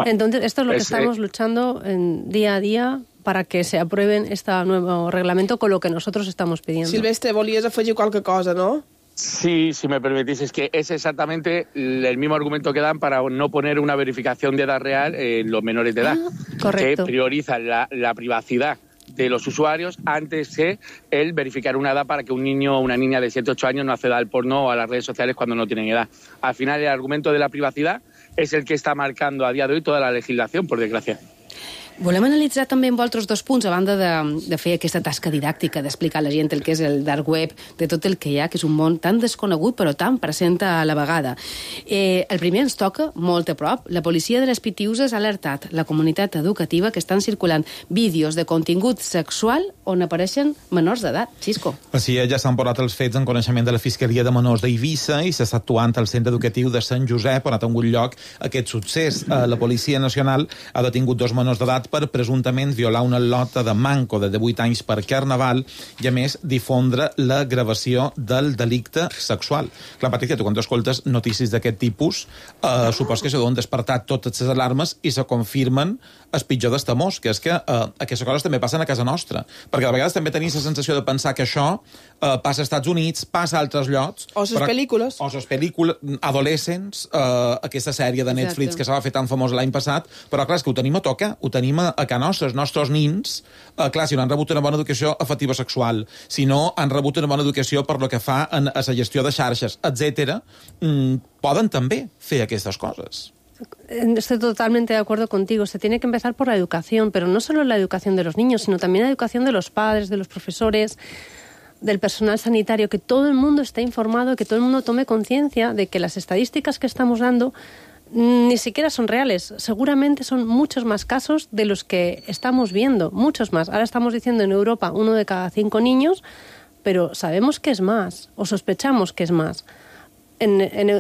Speaker 15: Entonces, esto es lo que estamos luchando día a día para que se aprueben este nuevo reglamento con lo que nosotros estamos pidiendo.
Speaker 4: Silvestre, volies afegir qualque cosa, no?
Speaker 10: Sí, si me permitís, es que es exactamente el mismo argumento que dan para no poner una verificación de edad real en los menores de edad.
Speaker 15: Correcto.
Speaker 10: Que priorizan la privacidad de los usuarios antes que el verificar una edad para que un niño o una niña de 7 o 8 años no acceda al porno o a las redes sociales cuando no tienen edad. Al final, el argumento de la privacidad es el que está marcando a día de hoy toda la legislación, por desgracia.
Speaker 3: Volem analitzar també amb altres dos punts, a banda de fer aquesta tasca didàctica, d'explicar a la gent el que és el dark web, de tot el que hi ha, que és un món tan desconegut però tan present a la vegada. El primer ens toca molt a prop. La policia de les Pitiuses ha alertat la comunitat educativa que estan circulant vídeos de contingut sexual on apareixen menors d'edat. Xisco.
Speaker 5: Així ja s'han posat els fets en coneixement de la Fiscalia de Menors d'Eivissa i s'està actuant al centre educatiu de Sant Josep, on ha tingut lloc aquest succés. La Policia Nacional ha detingut 2 menors d'edat per presumptament violar una lota de manco de 18 anys per Carnaval i, a més, difondre la gravació del delicte sexual. Clar, Patricia, tu quan escoltes notícies d'aquest tipus, supos que se deuen despertar totes les alarmes i se confirmen el pitjor dels temors, que és que aquestes coses també passen a casa nostra. Perquè a vegades també tenim la sensació de pensar que això passa als Estats Units, passa a altres llocs.
Speaker 4: O les pel·lícules.
Speaker 5: O les pel·lícules Adolescents, aquesta sèrie de Netflix que se va fer tan famosa l'any passat, però clar, és que ho tenim a tocar, ho tenim a casa nostra. Els nostres nins, clar, si no han rebut una bona educació afectiva sexual, si no han rebut una bona educació per lo que fa a la gestió de xarxes, etc., poden també fer aquestes coses.
Speaker 15: Estoy totalmente de acuerdo contigo. Se tiene que empezar por la educación, pero no solo la educación de los niños, sino también la educación de los padres, de los profesores, del personal sanitario, que todo el mundo esté informado, que todo el mundo tome conciencia de que las estadísticas que estamos dando ni siquiera son reales. Seguramente son muchos más casos de los que estamos viendo, muchos más. Ahora estamos diciendo en Europa 1 de cada 5 niños, pero sabemos que es más, o sospechamos que es más.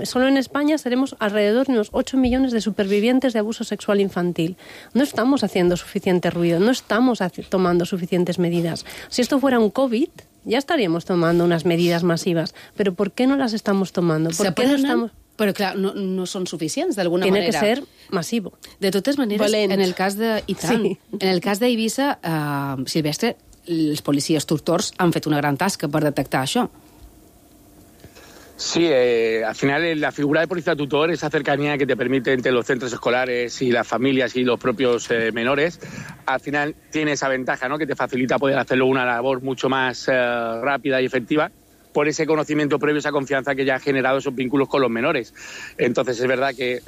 Speaker 15: Solo en España seremos alrededor de unos 8 millones de supervivientes de abuso sexual infantil. No estamos haciendo suficiente ruido, no estamos tomando suficientes medidas. Si esto fuera un COVID, ya estaríamos tomando unas medidas masivas. Pero ¿por qué no las estamos tomando? ¿Por qué no estamos...?
Speaker 3: Però, clar, no són suficients, d'alguna manera.
Speaker 15: Tiene que ser masivo.
Speaker 3: De totes maneres, en el cas de... I tant. Sí. En el cas d'Eivissa, Silvestre, els policies tutors han fet una gran tasca per detectar això.
Speaker 10: Sí, al final la figura de policía tutor, esa cercanía que te permite entre los centros escolares y las familias y los propios menores, al final tiene esa ventaja, ¿no? Que te facilita poder hacerlo una labor mucho más rápida y efectiva, por ese conocimiento previo, esa confianza que ya ha generado esos vínculos con los menores. Entonces es verdad que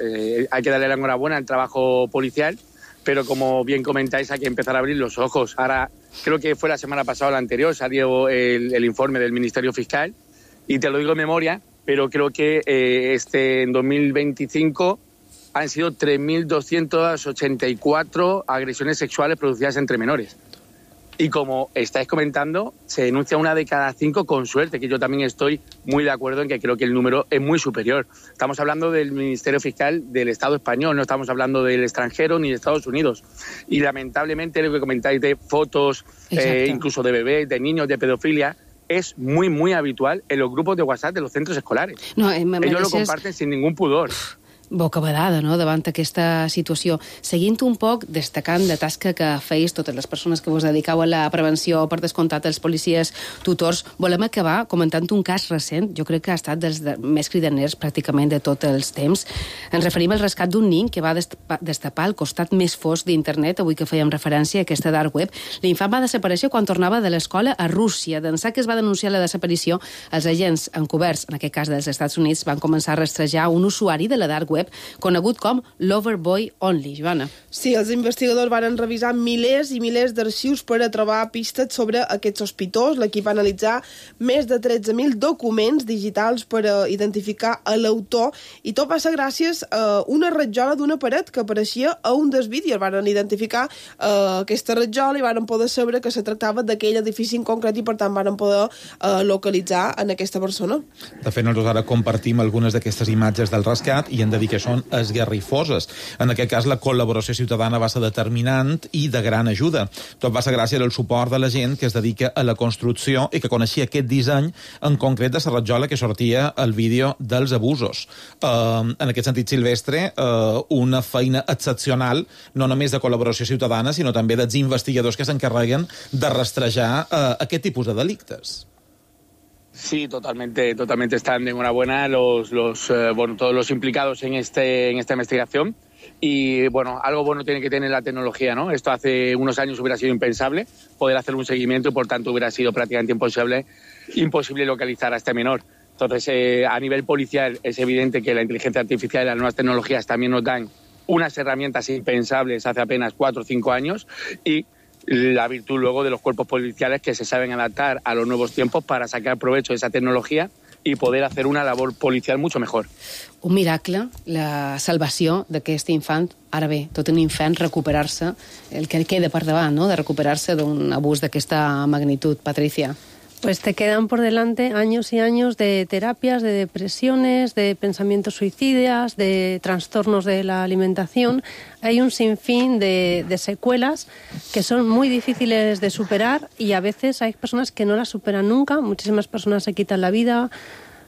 Speaker 10: hay que darle la enhorabuena al trabajo policial, pero como bien comentáis, hay que empezar a abrir los ojos. Ahora, creo que fue la semana pasada o la anterior, salió el informe del Ministerio Fiscal, y te lo digo de memoria, pero creo que en 2025 han sido 3.284 agresiones sexuales producidas entre menores. Y como estáis comentando, se denuncia 1 de cada 5 con suerte, que yo también estoy muy de acuerdo en que creo que el número es muy superior. Estamos hablando del Ministerio Fiscal del Estado español, no estamos hablando del extranjero ni de Estados Unidos. Y lamentablemente lo que comentáis de fotos, incluso de bebés, de niños, de pedofilia, es muy, muy habitual en los grupos de WhatsApp de los centros escolares. No, ellos lo comparten sin ningún pudor.
Speaker 3: Bocabadada, no?, davant aquesta situació. Seguint un poc, destacant la tasca que feis totes les persones que vos dediqueu a la prevenció, per descomptat els policies tutors, volem acabar comentant un cas recent, jo crec que ha estat dels més cridaners pràcticament de tots els temps. Ens referim al rescat d'un nin que va destapar el costat més fosc d'internet, avui que fèiem referència a aquesta dark web. L'infant va desaparèixer quan tornava de l'escola a Rússia. D'ençà que es va denunciar la desaparició, els agents encoberts, en aquest cas dels Estats Units, van començar a rastrejar un usuari de la dark web conegut com Loverboy Only, Joana.
Speaker 4: Sí, els investigadors van revisar milers i milers d'arxius per a trobar pistes sobre aquest sospitós. L'equip va analitzar més de 13.000 documents digitals per a identificar l'autor, i tot va ser gràcies a una ratjola d'una paret que apareixia a un dels vídeos. Van identificar aquesta ratjola i van poder saber que se tractava d'aquell edifici en concret, i per tant van poder localitzar en aquesta persona.
Speaker 5: De fet, nosaltres ara compartim algunes d'aquestes imatges del rescat i hem de dir que són esgarrifoses. En aquest cas, la col·laboració ciutadana va ser determinant i de gran ajuda. Tot va ser gràcies al suport de la gent que es dedica a la construcció i que coneixia aquest disseny, en concret de la ratjola que sortia al vídeo dels abusos. En aquest sentit, Silvestre, una feina excepcional, no només de col·laboració ciutadana, sinó també dels investigadors que s'encarreguen de rastrejar aquest tipus de delictes.
Speaker 10: Sí, totalmente están de enhorabuena todos los implicados en esta investigación. Y bueno, algo bueno tiene que tener la tecnología, ¿no? Esto hace unos años hubiera sido impensable poder hacer un seguimiento, y por tanto hubiera sido prácticamente imposible localizar a este menor. Entonces, a nivel policial es evidente que la inteligencia artificial y las nuevas tecnologías también nos dan unas herramientas impensables hace apenas 4 o 5 años, y la virtud luego de los cuerpos policiales que se saben adaptar a los nuevos tiempos para sacar provecho de esa tecnología i poder hacer una labor policial mucho mejor.
Speaker 3: Un miracle, la salvació d'aquest infant. Ara bé, tot un infant recuperar-se, el que queda per davant, no?, de recuperar-se d'un abús d'aquesta magnitud. Patricia.
Speaker 15: Pues te quedan por delante años y años de terapias, de depresiones, de pensamientos suicidas, de trastornos de la alimentación. Hay un sinfín de secuelas que son muy difíciles de superar, y a veces hay personas que no las superan nunca. Muchísimas personas se quitan la vida,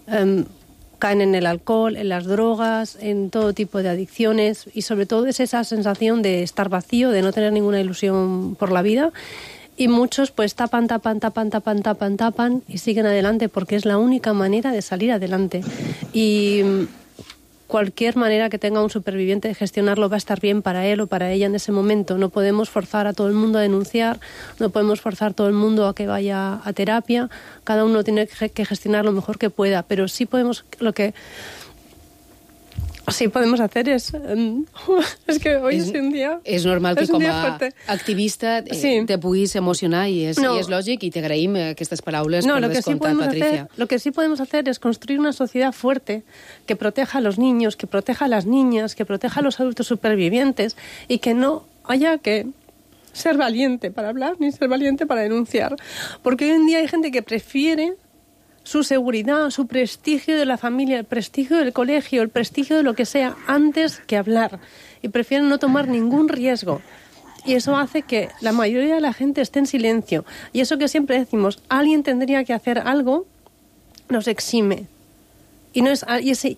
Speaker 15: caen en el alcohol, en las drogas, en todo tipo de adicciones, y sobre todo es esa sensación de estar vacío, de no tener ninguna ilusión por la vida. Y muchos pues tapan y siguen adelante, porque es la única manera de salir adelante. Y cualquier manera que tenga un superviviente de gestionarlo va a estar bien para él o para ella en ese momento. No podemos forzar a todo el mundo a denunciar, no podemos forzar a todo el mundo a que vaya a terapia. Cada uno tiene que gestionar lo mejor que pueda, pero sí podemos sí podemos hacer es que hoy es un día...
Speaker 3: És normal que com a
Speaker 15: fuerte.
Speaker 3: Activista te puguis emocionar i és lògic, i t'agraïm aquestes paraules per descomptat, Patricia.
Speaker 15: Lo que sí podemos hacer es construir una sociedad fuerte que proteja a los niños, que proteja a las niñas, que proteja a los adultos supervivientes y que no haya que ser valiente para hablar ni ser valiente para denunciar. Porque hoy en día hay gente que prefiere su seguridad, su prestigio de la familia, el prestigio del colegio, el prestigio de lo que sea, antes que hablar. Y prefieren no tomar ningún riesgo. Y eso hace que la mayoría de la gente esté en silencio. Y eso que siempre decimos, alguien tendría que hacer algo, nos exime.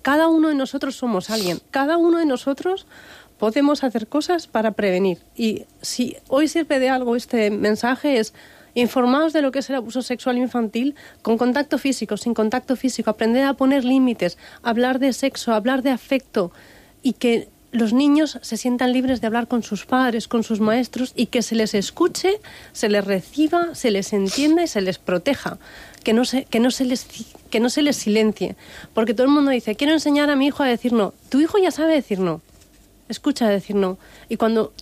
Speaker 15: Cada uno de nosotros somos alguien. Cada uno de nosotros podemos hacer cosas para prevenir. Y si hoy sirve de algo este mensaje es... Informaos de lo que es el abuso sexual infantil con contacto físico, sin contacto físico, aprender a poner límites, hablar de sexo, hablar de afecto y que los niños se sientan libres de hablar con sus padres, con sus maestros y que se les escuche, se les reciba, se les entienda y se les proteja, que no se les silencie. Porque todo el mundo dice, quiero enseñar a mi hijo a decir no. Tu hijo ya sabe decir no. Escucha decir no. Y cuando...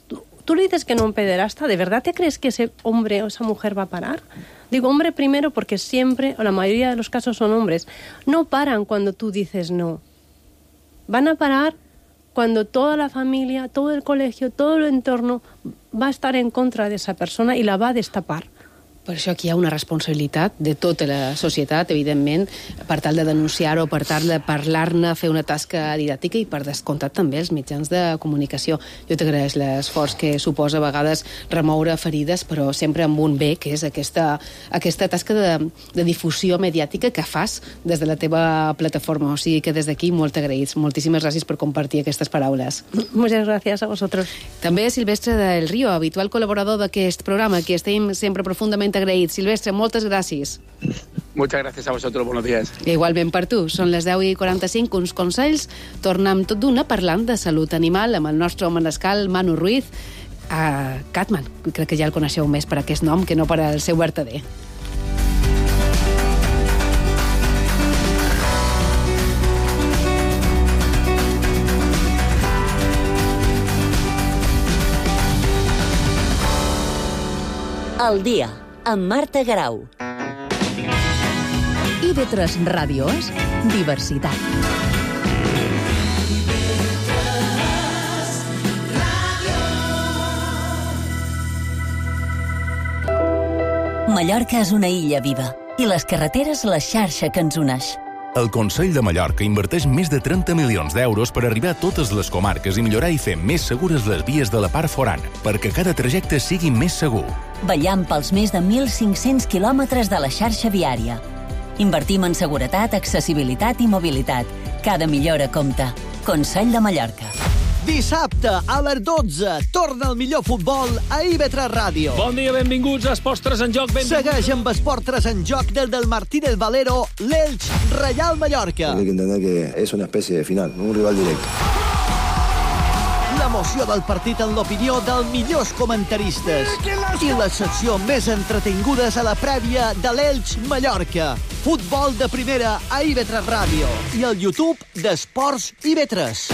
Speaker 15: Tú le dices que no a un pederasta, ¿de verdad te crees que ese hombre o esa mujer va a parar? Digo hombre primero porque siempre, o la mayoría de los casos son hombres, no paran cuando tú dices no. Van a parar cuando toda la familia, todo el colegio, todo el entorno va a estar en contra de esa persona y la va a destapar.
Speaker 3: Per això aquí hi ha una responsabilitat de tota la societat, evidentment, per tal de denunciar-ho, per tal de parlar-ne, fer una tasca didàctica i per descomptat també els mitjans de comunicació. Jo t'agraeix l'esforç que suposa a vegades remoure ferides, però sempre amb un bé, que és aquesta tasca de difusió mediàtica que fas des de la teva plataforma. O sigui que des d'aquí molt agraïts. Moltíssimes gràcies per compartir aquestes paraules.
Speaker 15: Muchas gracias a vosotros.
Speaker 3: També Silvestre del Río, habitual col·laborador d'aquest programa, que estem sempre profundament agraïts. Silvestre, moltes gràcies.
Speaker 10: Muchas gracias a vosotros, buenos días.
Speaker 3: Igualment per tu. Són les 10:45, uns consells. Tornem tot d'una parlant de salut animal amb el nostre manescal Manu Ruiz. Catman, crec que ja el coneixeu més per aquest nom que no per el seu vertader.
Speaker 2: El dia, amb Marta Garau.
Speaker 1: IB3 Ràdio és diversitat.
Speaker 2: Mallorca és una illa viva i les carreteres la xarxa que ens uneix.
Speaker 16: El Consell de Mallorca inverteix més de 30 milions d'euros per arribar a totes les comarques i millorar i fer més segures les vies de la part forana, perquè cada trajecte sigui més segur.
Speaker 2: Vetllant pels més de 1.500 quilòmetres de la xarxa viària. Invertim en seguretat, accessibilitat i mobilitat. Cada millora compta. Consell de Mallorca.
Speaker 17: Dissabte, a les 12, torna el millor futbol a IB3 Ràdio.
Speaker 11: Bon dia, benvinguts a Esports 3 en Joc.
Speaker 17: Segueix amb Esports 3 en Joc del Martínez Valero, l'Elx Reial Mallorca.
Speaker 18: Hay que entender que es una especie de final, un rival directo.
Speaker 17: L'emoció del partit en l'opinió dels millors comentaristes i la secció més entretingudes a la prèvia de l'Elx Mallorca. Futbol de primera a IB3 Ràdio i al YouTube d'Esports IB3.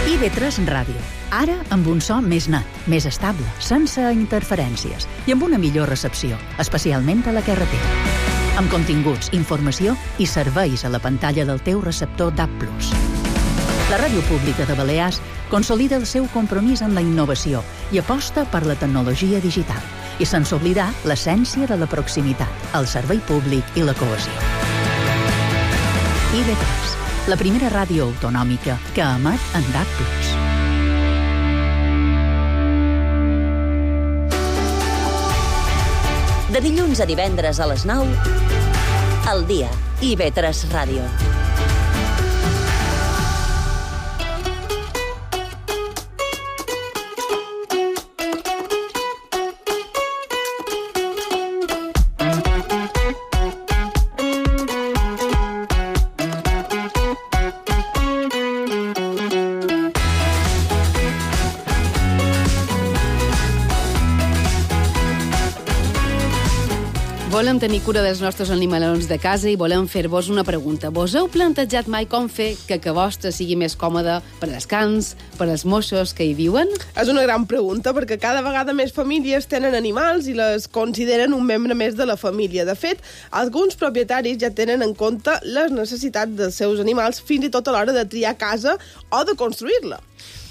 Speaker 1: IB3 Ràdio. Ara amb un so més net, més estable, sense interferències i amb una millor recepció, especialment a la carretera. Amb continguts, informació i serveis a la pantalla del teu receptor DAB+. La ràdio pública de Balears consolida el seu compromís amb la innovació i aposta per la tecnologia digital i sense oblidar l'essència de la proximitat, el servei públic i la cohesió. IB3, la primera ràdio autonòmica que emet en DAB+.
Speaker 2: De dilluns a divendres a les 9, al dia, IB3 Ràdio.
Speaker 3: volem tenir cura dels nostres animalons de casa i volem fer-vos una pregunta. Vos heu plantejat mai com fer que vostra sigui més còmoda per als cans, per als moixos que hi viuen?
Speaker 4: És una gran pregunta, perquè cada vegada més famílies tenen animals i les consideren un membre més de la família. De fet, alguns propietaris ja tenen en compte les necessitats dels seus animals fins i tot a l'hora de triar casa o de construir-la.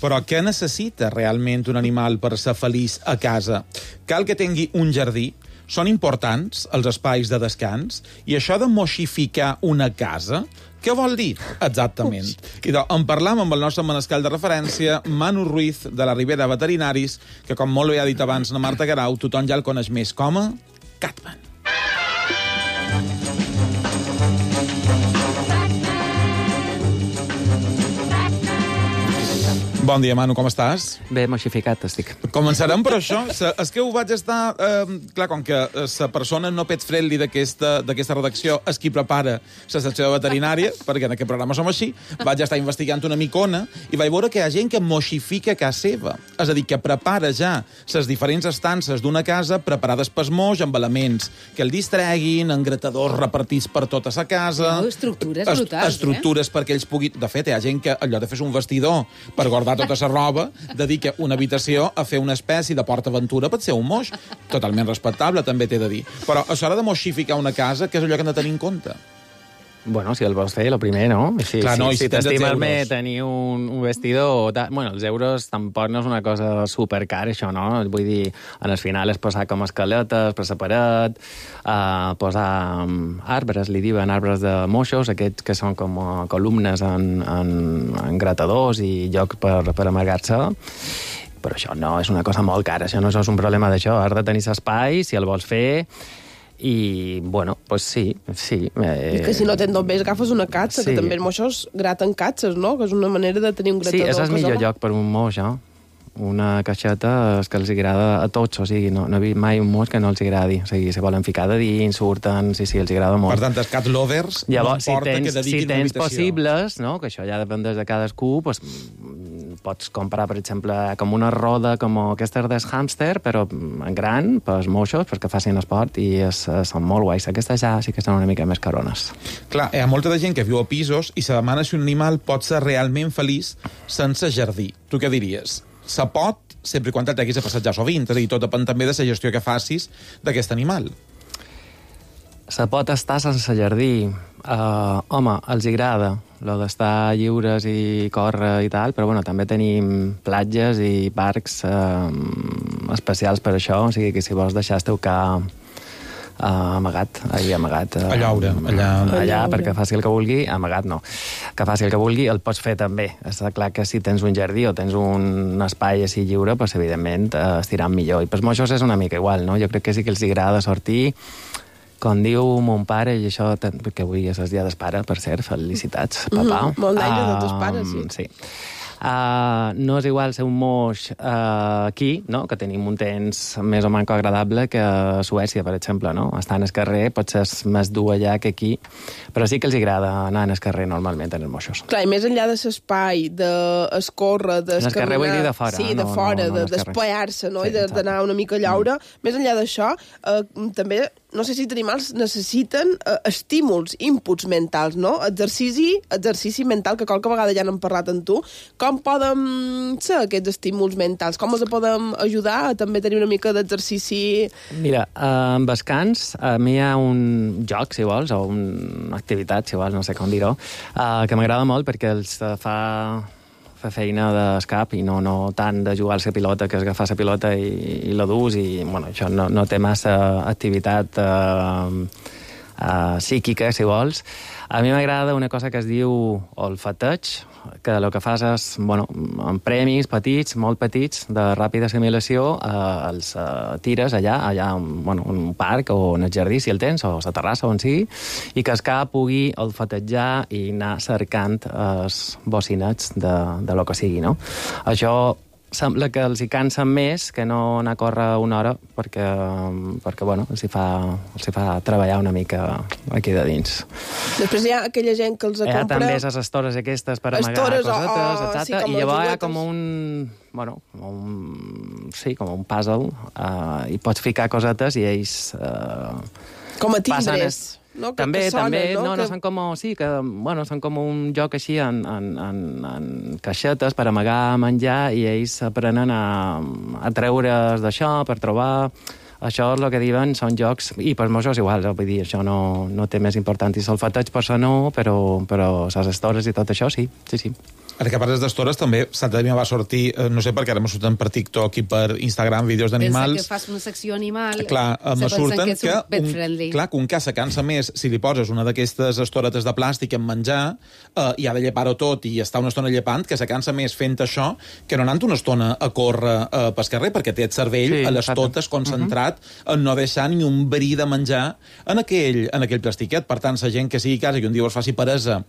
Speaker 5: Però què necessita realment un animal per ser feliç a casa? Cal que tingui un jardí? Són importants els espais de descans? I això de moixificar una casa, què vol dir exactament? I en parlam amb el nostre manescal de referència, Manu Ruiz, de la Ribera Veterinaris, que, com molt bé ha dit abans la Marta Garau, tothom ja el coneix més com a Catman. Bon dia, Manu, com estàs?
Speaker 19: Bé, moixificat estic.
Speaker 5: Començarem per això. És que ho vaig estar... clar, com que la persona no pet-friendly d'aquesta redacció és qui prepara la secció veterinària, perquè en aquest programa som així, vaig estar investigant una micona i vaig veure que hi ha gent que moixifica a casa seva. És a dir, que prepara ja les diferents estances d'una casa preparades pels moix amb elements que el distreguin, engratadors repartits per tota la casa...
Speaker 3: Estructures brutals,
Speaker 5: estructures perquè ells puguin... De fet, hi ha gent que, allò de fer un vestidor per guardar tota la roba, dedica una habitació a fer una espècie de PortAventura per ser un moix. Totalment respectable, també t'he de dir. Però a l'hora de moixificar una casa, què és allò que hem de tenir en compte?
Speaker 19: Bueno, si el vols fer, el primer, no? Si t'estimes més tenir un vestidor... Bueno, els euros tampoc no és una cosa supercar, això, no? Vull dir, en el final és posar com escaletes per la paret, posar arbres, li diuen arbres de moixos, aquests que són com columnes en gratadors i lloc per amargar-se. Però això no és una cosa molt cara, això no és un problema d'això. Has de tenir l'espai, si el vols fer... I, bueno, pues sí.
Speaker 4: I que si no tens només agafes una catxa, que també els moixos graten catxes, no? Que és una manera de tenir un gratador.
Speaker 19: Sí, és el millor lloc per un moix, eh? Una caixeta és que els agrada a tots, o sigui, no he vist mai un moix que no els agradi. O sigui, se volen ficar de dins, surten, sí, els agrada molt.
Speaker 5: Per tant, els cat lovers
Speaker 19: llavors,
Speaker 5: no importa que dediquin una habitació.
Speaker 19: Si tens possibles, no? Que això ja depèn de cadascú, pues, pots comprar, per exemple, com una roda com aquesta del hàmster, però en gran, pels moixos, perquè facin esport, i són molt guais. Aquestes ja sí que són una mica més carones.
Speaker 5: Clar, hi ha molta de gent que viu a pisos i se demana si un animal pot ser realment feliç sense jardí. Tu què diries? Se pot, sempre quan el treguis a passejar sovint, és a dir, tot depèn també de la gestió que facis d'aquest animal.
Speaker 19: Se pot estar sense jardí. Home, els agrada lo d'estar lliures i córrer i tal, però bueno, també tenim platges i parcs especials per això, o sigui que si vols deixar el teu ca amagat. Allà, perquè faci el que vulgui, amagat no. Que faci el que vulgui, el pots fer també. Està clar que si tens un jardí o tens un espai així lliure, doncs evidentment estiran millor. I pels moixos és una mica igual, no? Jo crec que sí que els agrada sortir. Com diu mon pare, i això, perquè avui és el dia del pare, per cert, felicitats, papà.
Speaker 4: Molt d'aire de tos pares,
Speaker 19: sí. No és igual ser un moix aquí, no? Que tenim un temps més o menys agradable que a Suècia, per exemple, no? Estar en el carrer potser és més dur allà que aquí, però sí que els agrada anar en el carrer normalment en els moixos.
Speaker 4: Clar, i més enllà de l'espai, d'escórrer, d'escaminar...
Speaker 19: En el carrer vull dir de fora.
Speaker 4: Sí, de fora, d'espaiar-se, no? I d'anar una mica a llaure. Més enllà d'això, també... No sé si els animals necessiten estímuls, inputs mentals, no? Exercici mental, que qualque vegada ja n'hem parlat amb tu. Com poden ser aquests estímuls mentals? Com els podem ajudar a també tenir una mica d'exercici?
Speaker 19: Mira, amb descans, a mi hi ha un joc, si vols, o una activitat, si vols, no sé com dir-ho, que m'agrada molt perquè els fa feina d'escap i no tant de jugar a la pilota, que és agafar la pilota i la dus, i bueno, això no té massa activitat psíquica, si vols. A mi m'agrada una cosa que es diu olfateig, que el que fas és, bueno, amb premis petits, molt petits, de ràpida assimilació, els tires allà, bueno, un parc o en el jardí, si el tens, o a la terrassa, on sigui, i que el cap pugui olfatejar i anar cercant els bocinets de lo que sigui, no? Això sembla que els hi cansen més que no anar a córrer una hora perquè bueno, els hi fa treballar una mica aquí de dins.
Speaker 4: Després hi ha aquella gent que els compra...
Speaker 19: Hi ha també les estores aquestes per amagar cosetes, etc. Sí, i llavors hi ha com com un puzzle, i pots ficar cosetes i ells
Speaker 4: Com a timbres. No,
Speaker 19: també,
Speaker 4: no,
Speaker 19: són com, sí, que, bueno, són com un joc així en caixetes per amagar menjar i ells aprenen a treure's d'això per trobar. Això és el que diuen, són jocs, i per molts és igual, vull dir, això no té més importància. El solfeteig per això no, però les estores i tot això sí.
Speaker 5: Ara que parles d'estores, també l'altre dia va sortir, no sé per què ara me surten per TikTok i per Instagram vídeos d'animals.
Speaker 3: Pensa que fas una secció animal,
Speaker 5: clar, me surten
Speaker 3: que
Speaker 5: un ca se cansa més si li poses una d'aquestes estoretes de plàstic en menjar i ha de llepar-ho tot i està una estona llepant, que se cansa més fent això que no anant una estona a córrer pel carrer, perquè té el cervell a les totes concentrat en no deixar ni un bri de menjar en aquell plastiquet. Per tant, la gent que sigui a casa i un dia us faci peresa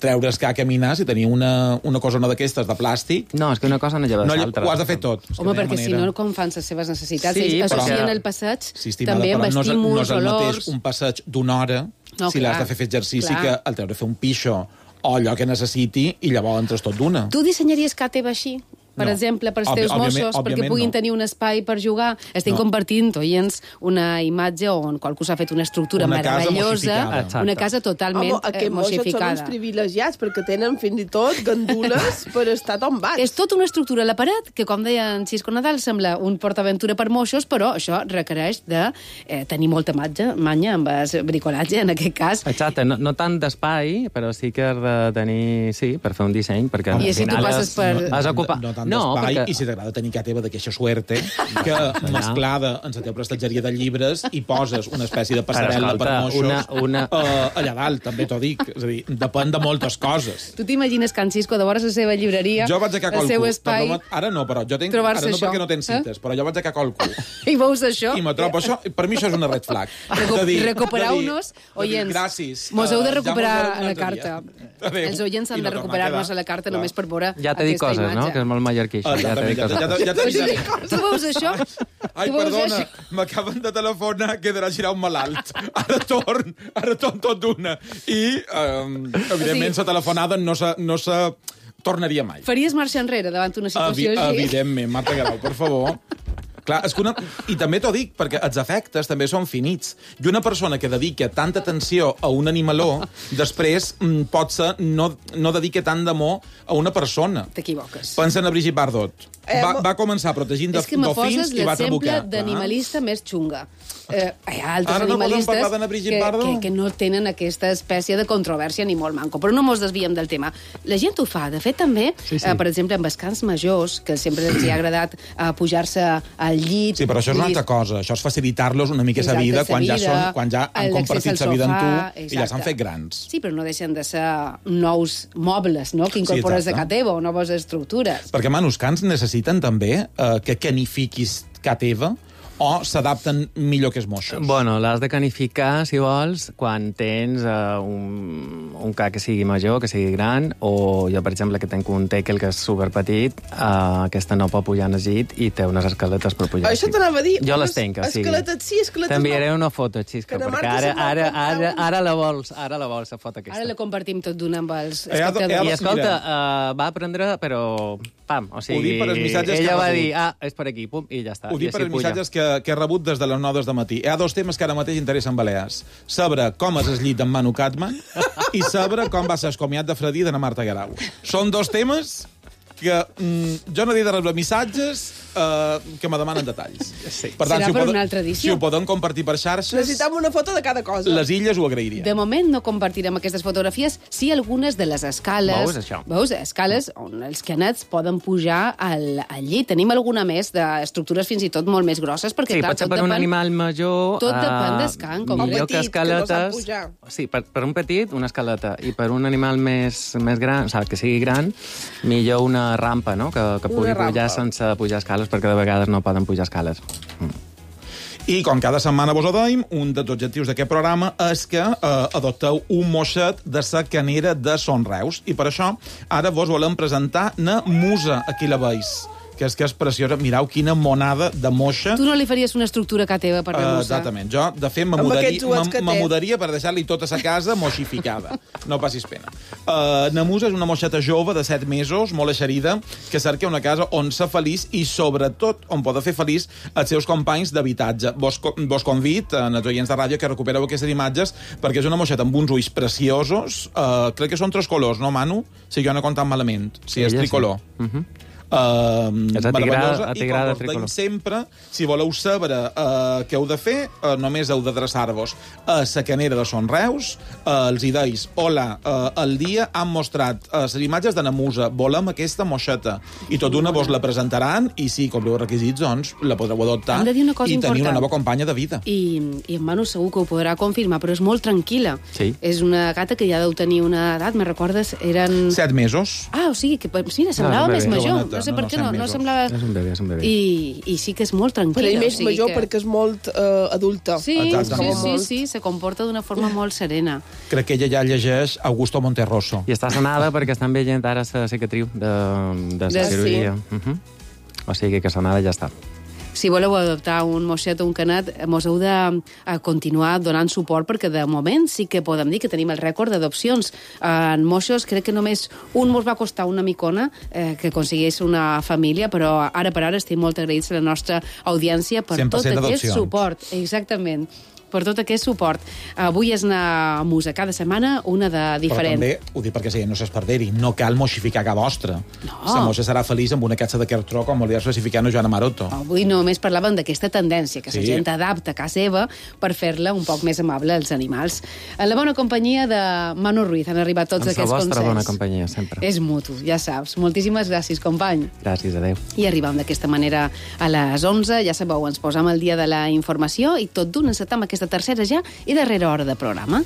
Speaker 5: treure's que a caminar, si teniu una cosa d'aquestes de plàstic...
Speaker 19: No, és que una cosa no lleva l'altra.
Speaker 5: Ho has de fer tot.
Speaker 3: Home, perquè si no, com fan les seves necessitats? Ells associen el passeig també amb estímuls, olors...
Speaker 5: No és el mateix un passeig d'una hora, si l'has de fer exercici, que el teu de fer un pixo o allò que necessiti i llavors entres tot d'una.
Speaker 3: Tu dissenyaries casa teva així? Per exemple, per als teus mossos, perquè puguin tenir un espai per jugar. Estem compartint, oients, una imatge on qualcú s'ha fet una estructura meravellosa, una casa totalment mossificada.
Speaker 4: Aquests mossos són uns privilegiats, perquè tenen fins i tot gandules per estar tombats.
Speaker 3: És tota una estructura a la paret, que, com deia en Xisco Nadal, sembla un portaventura per mossos, però això requereix de tenir molta manya amb el bricolatge, en aquest cas.
Speaker 19: Exacte, no tant d'espai, però sí que has de tenir, sí, per fer un disseny, perquè
Speaker 3: al final
Speaker 19: has ocupat...
Speaker 5: Perquè... I si t'agrada tenir casa teva d'aquesta suerte, que mesclada en la teva prestatgeria de llibres i poses una espècie de passarel·la per moixos allà dalt, també t'ho dic. És a dir, depèn de moltes coses.
Speaker 3: Tu t'imagines Can Xisco de vora la seva llibreria, el seu espai...
Speaker 5: Ara no, però jo tinc... Ara no perquè no tens cites, però jo vaig a qualcú.
Speaker 3: I veus això?
Speaker 5: I me trobo això. Per mi això és una red flag.
Speaker 3: Recupereu-nos, oients.
Speaker 5: Gràcies.
Speaker 3: Mos heu de recuperar a la carta. Els oients han de recuperar-nos a la carta només per veure
Speaker 19: aquesta imatge. Ja t'he dit coses, no? Que és molt mallorquí.
Speaker 5: Ja t'he dit.
Speaker 3: Tu veus això?
Speaker 5: Ai, perdona, m'acaben de telefonar que he d'anar a girar un malalt. Ara torn tot d'una. I, evidentment, la telefonada no se tornaria mai.
Speaker 3: Faries marxa enrere davant una situació així?
Speaker 5: Evidentment, Marta Guerau, per favor. Clar, és que I també t'ho dic, perquè els efectes també són finits. I una persona que dedica tanta atenció a un animaló, després potser no dedica tant d'amor a una persona.
Speaker 3: T'equivoques.
Speaker 5: Pensa en Brigitte Bardot. Va començar protegint dofins i va trabucar.
Speaker 3: És que me poses l'exemple d'animalista més xunga. Hi ha altres animalistes que no tenen aquesta espècie de controvèrsia ni molt manco. Però no mos desviem del tema. La gent ho fa. De fet, també, per exemple, amb els cans majors, que sempre els ha agradat pujar-se al llit...
Speaker 5: Sí, però això és una altra cosa. Això és facilitar-los una mica la vida quan ja han compartit la vida amb tu i ja s'han fet grans.
Speaker 3: Sí, però no deixen de ser nous mobles, no?, que incorpores a casa teva, o noves estructures.
Speaker 5: Perquè, els cans necessiten també que canifiquis casa teva o s'adapten millor que els moixos?
Speaker 19: Bueno, l'has de canificar, si vols, quan tens un ca que sigui major, que sigui gran, o jo, per exemple, que tinc un teckel que és superpetit, aquesta no pot pujar en el llit i té unes escaletes per pujar.
Speaker 4: Això t'anava a dir.
Speaker 19: Jo les tinc, o sigui.
Speaker 4: Escaletes sí, escaletes no.
Speaker 19: T'enviaré una foto, Xisco, perquè ara la vols, la foto aquesta.
Speaker 3: Ara la compartim tot d'una amb els espectadors.
Speaker 19: I escolta, va aprendre, però... Pam, o sigui, ella va dir, és per aquí, pum, i ja està.
Speaker 5: Ho dic per els missatges que he rebut des de les 9 del matí. Hi ha dos temes que ara mateix interessen Balears. Saber com és el llit amb Manu Katman i saber com va ser el comiat de Fredí de la Marta Guerau. Són dos temes que jo no he de rebre missatges que me demanen detalls.
Speaker 3: Sí. Per tant,
Speaker 5: si ho poden compartir per xarxes...
Speaker 4: Necessitem una foto de cada cosa.
Speaker 5: Les illes ho agrairien.
Speaker 3: De moment no compartirem aquestes fotografies, sí algunes de les escales.
Speaker 19: Veus, això?
Speaker 3: Veus, escales on els canets poden pujar al llit. Tenim alguna més d'estructures fins i tot molt més grosses, perquè
Speaker 19: sí,
Speaker 3: clar,
Speaker 19: pot ser per un animal major...
Speaker 3: Tot depèn del can, com
Speaker 19: millor que escaletes... Sí, per un petit, una escaleta, i per un animal més gran, o sigui, que sigui gran, millor una rampa, no?, que pugui pujar sense pujar escales, perquè de vegades no poden pujar escales.
Speaker 5: I com cada setmana vos ho deim, un dels objectius d'aquest programa és que adopteu un moixet de sa canera de Son Reus. I per això ara vos volem presentar na Musa, aquí la veus, que és preciosa. Mireu quina monada de moixa.
Speaker 3: Tu no li faries una estructura a teva per la mossa?
Speaker 5: Exactament. Jo, de fet, me mudaria per deixar-li tota sa casa moixificada. No passis pena. Na musa és una moixeta jove de 7 mesos, molt eixerida, que cerca una casa on ser feliç i, sobretot, on poder fer feliç els seus companys d'habitatge. Vos convid, els oients de ràdio, que recupereu aquestes imatges, perquè és una moixeta amb uns ulls preciosos. Crec que són 3 colors, no, Manu? Si jo no he comptat malament. Sí, és tricolor.
Speaker 19: És atigrada
Speaker 5: tricolor. I sempre, si voleu saber què heu de fer, només heu d'adreçar-vos a la canera de Son Reus, els hi deis, hola, el dia han mostrat les imatges de Namusa, volem aquesta moixeta, i tot d'una vos la presentaran, i si compliu els requisits, doncs la podreu adoptar i tenir una nova companya de vida.
Speaker 3: I en Manu segur que ho podrà confirmar, però és molt tranquil·la.
Speaker 19: Sí.
Speaker 3: És una gata que ja deu tenir una edat, me recordes, eren...
Speaker 5: 7 mesos.
Speaker 3: O sigui, que mira, semblava més major. No sé per què no semblava...
Speaker 19: És un bebè, és un bebè.
Speaker 3: I sí que és molt tranquil·la.
Speaker 4: Però ell més major perquè és molt adulta.
Speaker 3: Sí, se comporta d'una forma molt serena.
Speaker 5: Crec que ella ja llegeix Augusto Monterroso.
Speaker 19: I està sanada perquè estan veient ara la cicatriu de la cirurgia. O sigui que sanada ja està.
Speaker 3: Si voleu adoptar un moixet o un canat, mos heu de continuar donant suport, perquè de moment sí que podem dir que tenim el rècord d'adopcions. En moixos crec que només un mos va costar una micona que aconseguís una família, però ara per ara estem molt agraïts a la nostra audiència per tot aquest suport. Exactament. Per tot aquest suport. Avui és una musa cada setmana, una de diferent.
Speaker 5: Però també, ho dic perquè no s'esperderi, no cal moixificar cap vostra.
Speaker 3: No.
Speaker 5: La moixa serà feliç amb una catxa de cartró, com volia especificar Joana Maroto.
Speaker 3: Avui només parlàvem d'aquesta tendència, que la gent adapta a casa seva per fer-la un poc més amable als animals. En la bona companyia de Manu Ruiz han arribat tots aquests consells.
Speaker 19: La vostra bona companyia, sempre.
Speaker 3: És mutu, ja saps. Moltíssimes gràcies, company.
Speaker 19: Gràcies, adeu.
Speaker 3: I arribam d'aquesta manera a les 11. Ja sabeu, ens posam al dia de la informació i tot d'un encetam aquesta tercera ja i darrera hora de programa.